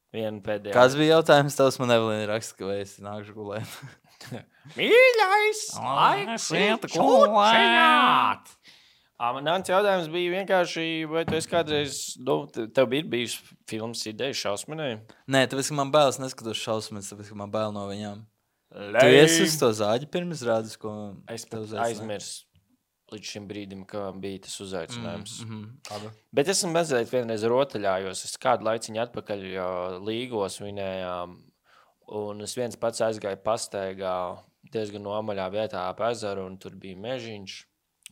Vienu pēdējā. Kāds bija jautājums tavs, man Evelīna raksta, ka vai es nākšu gulēt? Mīļais, laiks iet gulēt! Mans jautājums bija vienkārši, vai tu esi kādreiz, tev bija bijusi filmas ideja šausmenē? Nē, tāpēc, ka man bailes neskatos šausmenes, tāpēc, ka man bail no viņām. Tu esi uz to zāģi pirms rādis, ko es aizmirsu līdz šim brīdim, ka bija tas uzaicinājums. Bet esmu mazliet vienreiz rotaļājos. Es kādu laiciņu atpakaļ Līgos vinējām, un es viens pats aizgāju pastaigā diezgan nomaļā vietā ap ezeru, un tur bija mežiņš,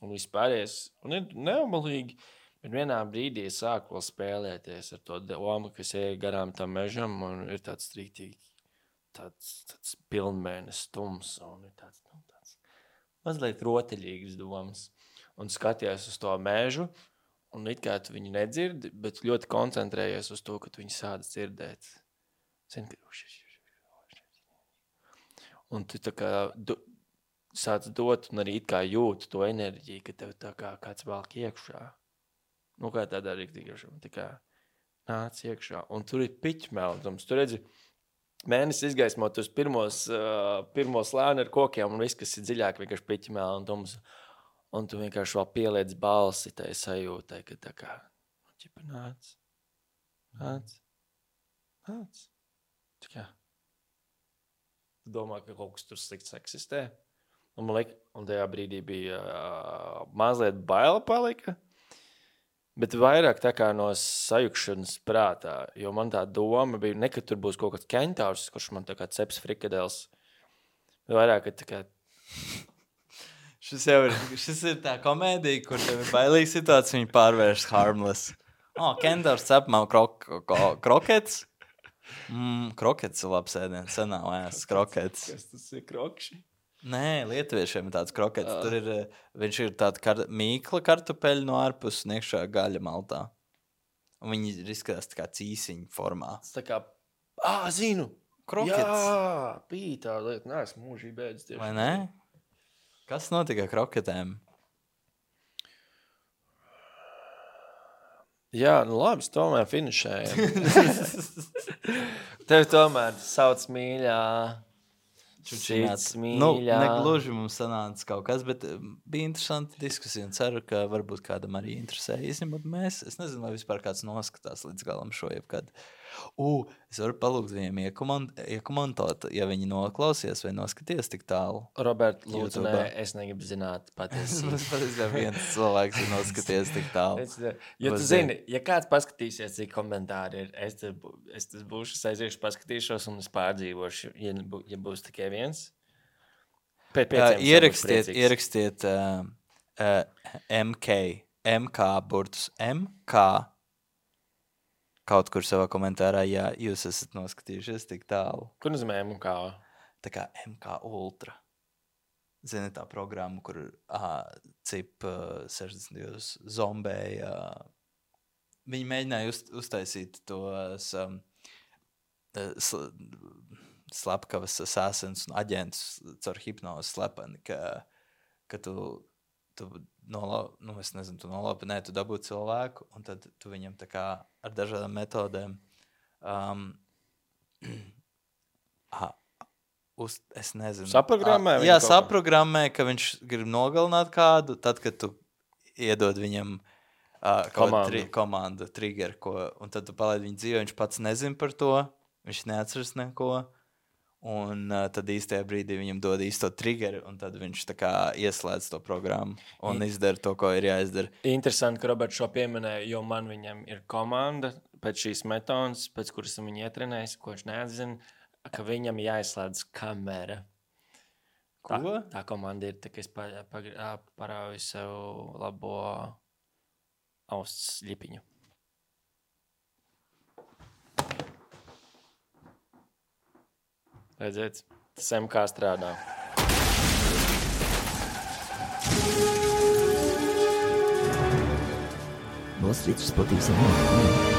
un vispārējais. Un ir neomalīgi, bet vienā brīdī es sāku vēl spēlēties ar to domu, kas ej garām tam mežam, un ir tāds striktīgi, tāds pilnmēnes tums, un ir tāds mazliet rotaļīgas domas. Un skatījos uz to mežu, un it kā tu viņu nedzirdi, bet ļoti koncentrējies uz to, ka tu viņu sāc dzirdēt. Un tu tā kā sāc dot, un arī it kā jūti to enerģiju, ka tev tā kā kāds velk iekšā. Nu, kā tādā rīktīgašā. Tā kā nāc iekšā. Un tur ir piķmeldums. Tur redzi, mēnesis izgaismot uz pirmo slēni ar kokiem un viss, kas ir dziļāk, vienkārši piķmeldums. Un tu vienkārši vēl pieliec balsi tai sajūtai, ka tā kā, ķipa nāc. Tā kā. Tu domā, ka kaut kas tur slikts eksistē. Un tajā brīdī bija mazliet baila palika. Bet vairāk tā kā no sajukšanas prātā. Jo man tā doma bija, ne, ka tur būs kaut kāds kentārs, kurš man tā kā ceps frikadels. Vairāk, ka tā kā... Šis ir tā komēdija, kur tev ir bailīga situācija, viņa pārvērš harmless. Kentārs cep man krokets. Krokets ir labs ēdiens, senā vajās krokets. Kas tas ir krokši? Nē, lietuviešiem ir tāds krokets. Tur ir, viņš ir tāda mīkla kartupeļa no ārpus un iekšā gaļa maltā. Un viņi izskatās tā kā cīsiņa formā. Tā kā, zinu. Krokets. Jā, bija tā lieta. Nē, es mūžīgi bēdzu tieši. Vai ne? Kas notika ar kroketēm? Jā, nu labi, es tomēr finišēju. Tev tomēr sauc mīļā. Šits mīļā. Negluži mums sanāca kaut kas, bet bija interesanti diskusija un ceru, ka varbūt kādam arī interesē izņemot mēs. Es nezinu, vai vispār kāds noskatās līdz galam šo jebkad. Es varu palūgt viņiem iekomentot, ja viņi noklausies vai noskaties tik tālu. Robert, lūdzu, nē, es negribu zināt patiesību. Mums patiesībā viens cilvēks ir noskaties tik tālu. Jo tu zini, ja kāds paskatīsies, cik komentāri ir, es būšu aiziešu, paskatīšos un es pārdzīvošu, ja būs tikai viens. Ierakstiet MK burtus MK kaut kur savā komentārā, ja jūs esat noskatījušies tik tālu. Kur nozīmē MK? Tā kā MK Ultra. Zini tā programma, kur CIP 62 zombēja. Viņi mēģināja uztaisīt tos slepkavas assassins un aģentus caur hipnozi slepeni, ka tu tu dabū cilvēku, un tad tu viņam tā kā ar dažādām metodēm es nezinu. Saprogrammē? Jā, saprogrammē, ka viņš grib nogalināt kādu, tad, kad tu iedod viņam komandu, trigger, un tad tu palaid viņu dzīvē, viņš pats nezin par to, viņš neatceras neko. Un tad īstajā brīdī viņam dod īsto triggeru, un tad viņš tā kā ieslēdz to programmu un izdara to, ko ir jāizdara. Interesanti, ka Roberts šo pieminēja, jo man viņam ir komanda pēc šīs metodas, pēc kuras viņu ietrenējis, ko viņš neatzina, ka viņam jāizslēdz kamera. Ko? Tā komanda ir, tā ka es parauju sev labo austs ļipiņu. Redziet, tas MK strādā. Wall Street Sporting Salon.